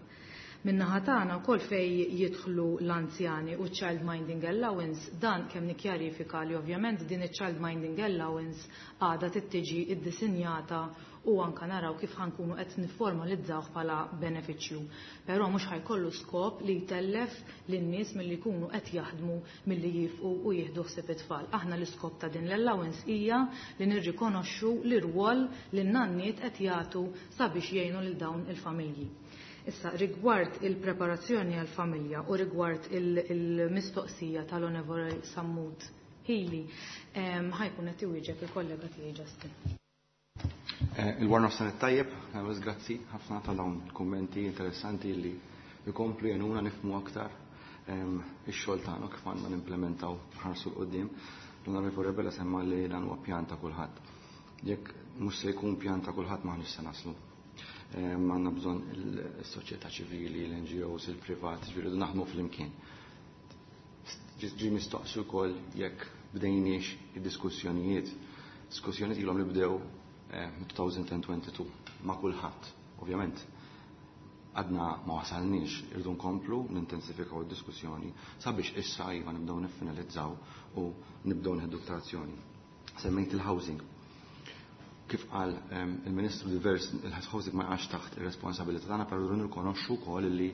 Min-naħa tagħna wkoll fejn jidħlu l-anzjani u child minding allowance, dan kemm nikkjarifika li ovvjament din iċ-child minding allowance għadha trid iddisinjata u anka naraw kif ħa nkunu qed nifformalizzawh bħala benefiċċju. Però mhux ħa jkollu skop li jtellef lin-nies milli jkunu qed jaħdmu milli jifqu u jieħdu ħsieb it-tfal. Aħna l-iskop ta' din l-allowance hija li nirrikonoxxu l-irwol li n-nanniet qed jagħtu sabiex jgħinu lil dawn il-familji. Issa, rigward il-preparazzjoni għal-familja u rigward il-mistoqsija tal-Onorevoli Sammut Hili, ħa jkun qed iwieġeb il-kollega tiegħi Justin. Il-wara nofsinhar tajjeb, grazzi ħafna ta' dawn kummenti interessanti li jkomplu jgħinuna nifhmu aktar ix-xogħol tagħna kif għandna nimplementaw nħarsu 'l quddiem. L-Onorevoli Rebella semma li dan huwa pjan ta' kulħadd. Jekk mhux se jkun pjan ta' kulħadd m'aħniex se naslu. Għandna bżonn il-soċjetà ċivili, l-N G Os, il-privat, ġifieri naħdmu flimkien. Ġi mistoqsi wkoll jekk bdejniex id-diskussjonijiet. Diskussjonijiet ilhom li bdew elfejn u tnejn u għoxrin ma' kulħadd. Ovvjament, għadna ma wasalniex, irridu nkomplu nintensifikaw id-diskussjoni sabiex issa iva nibdew niffinalizzaw u nibdew nieħdu azzjoni. Semmejt il-housing. Kif qal il-Ministru, divers il-housing ma jaqax taħt ir-responsabilità tagħna, però nirrikonoxxu wkoll li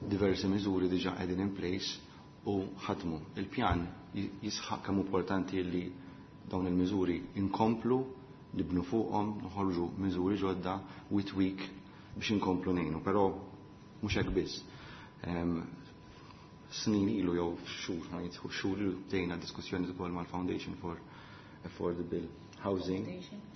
diversi miżuri diġà qegħdin in place u ħadmu. Il-pjan jisħaq kemm importanti li dawn il-miżuri inkomplu nibnu fuqhom, noħorġu miżuri ġodda with week biex inkomplu ngħinu, però mhux hekk biss. Snin ilu jew xhur, ngħid xhur ilu bdejna diskussjoni ukoll mal-Foundation for Affordable Housing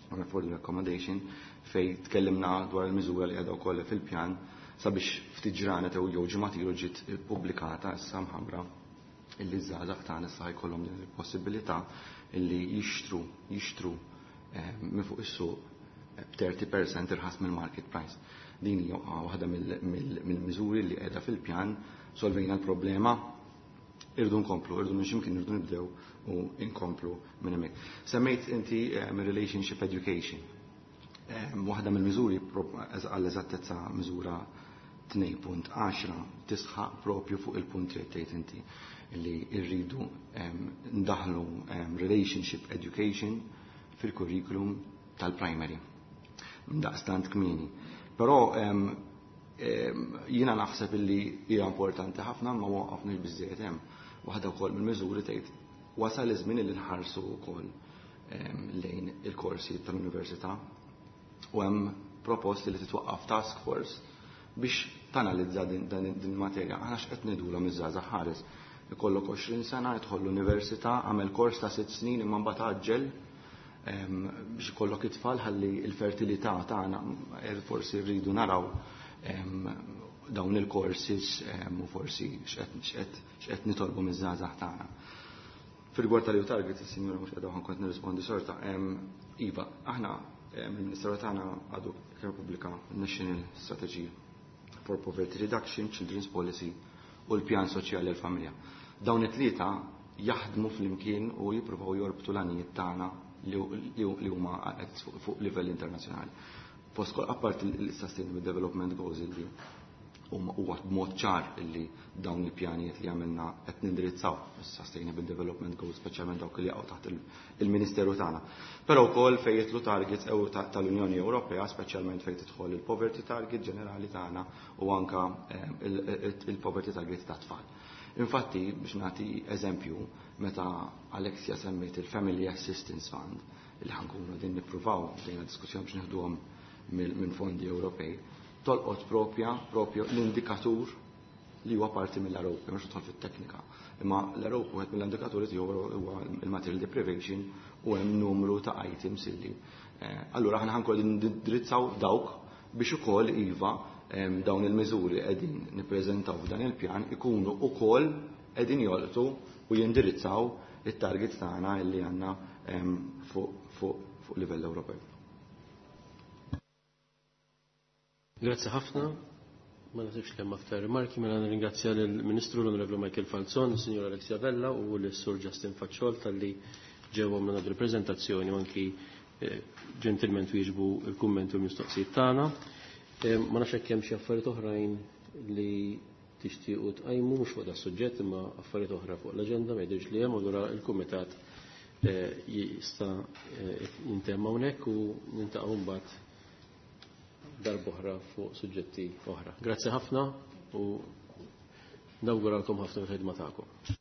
or Affordable Accommodation, fej tkellimna dwar il-miżura li qiegħda wkoll fil-pjan sabiex ftit ġranet jew jew ġimgħat ilu ġiet ippubblikata issa mħabbra illi żgħażagħ tagħna issa jkollhom din il-possibilità illi jixtru jixtru minn fuq is-suq b'tletin fil-mija irħas mill-market price. Din hija waħda mill-miżuri li qiegħda fil-pjan. Solvejna l-problema, irridu nkomplu, irridu minn ximkien irridu nibdew u nkomplu minn hemmhekk. Semmejt inti relationship education. Waħda mill-miżuri, għall-eżattezza miżura tnejn punt għaxra, tisħaq propju fuq il-punt li tgħid inti li rridu ndaħlu relationship education fil-curriculum tal-primary. Daqstant kmieni. Però jiena naħseb illi hija importanti ħafna, ma waqafniex biżejjed hemm. Waħda wkoll mill-miżuri tgħid wasal iż-żmien li nħarsu wkoll lejn il-korsi tal-università u hemm proposti li titwaqqaf task force biex tanalizza din, din materja. Aħna x'qed ngħidulhom iż-żgħażagħ? Ħares, ikollok għoxrin sena, jidħol l-università, għamel kors ta' sitt snin imma mbagħad għaġġel biex ikollok it-tfal ħalli il-fertilità tagħna. Forsi rridu naraw dawn il-courses u forsi x'qed nitolbu miż-żgħażagħ tagħna. Fil-rigward tal target, il-sinjura mhux qiegħda, kont nirrispondi sorta. Iva, aħna il-Ministeru tagħna għadu kemm pubblika National Strategy for Poverty Reduction, Children's Policy u l-Pjan Soċjali għal-Familja. Dawn it-tlieta jaħdmu flimkien u jippruvaw jorbtu l-għanijiet tagħna li huma fuq livell internazzjonali. Fost apart il-Sustainable Development Goals li huwa b'mod ċar illi dawn il-pjanijiet li għamilna qed nindirizzaw is-Sustainable Development Goals, speċjalment dawk li jaqgħu taħt il-Ministeru tagħna. Però wkoll fejn jidħlu targets tal-Unjoni Ewropea, speċjalment fejn tidħol il-poverty target ġenerali tagħna u anka il-poverty target ta' tfal. Infatti, biex nagħti eżempju, meta Alexia semmiet il-Family Assistance Fund, li ħa nkunu din nippruvaw bdejna diskussjoni biex neħduhom minn fondi Ewropej, tolqot propja, propju l-indikatur li huwa parti mill-R O P, mhux nidħol fit-teknika. Imma l-R O P, wieħed mill-indikaturi tiegħu huwa il-material deprivation u hemm numru ta' items illi. Allura aħna ħa nkunu nindirizzaw dawk biex ukoll iva dawn il-miżuri qegħdin nippreżentaw f'dan il-pjan ikunu ukoll qegħdin jolqtu u jindirizzaw it-targets tagħna illi għandna fuq fuq livell Ewropew. Grazzi ħafna. Ma nasibx li hemm aktar rimarki, mela nirringrazzja lill-Ministru l-Onorevoli Michael Falzon, il-Sinjor Alexia Vella u l-Sur Justin Facciol talli ġew għamlu il-preżentazzjoni u anki ġentilment wieġbu il-kummenti u l-mistoqsijiet tagħna. Ma nafx hekk hemm xi affarijiet oħrajn li tixtiequ tqajmu mhux fuq das-suġġett imma affarijiet oħra fuq l-aġenda ma jidhirx li hemm, allura l-kumitat eh, jista' eh, jintemm hawnhekk u niltaqgħu mbagħad darb'oħra fuq suġġetti oħra. Grazzi ħafna u nawguralkom ħafna fil-ħidma tagħkom.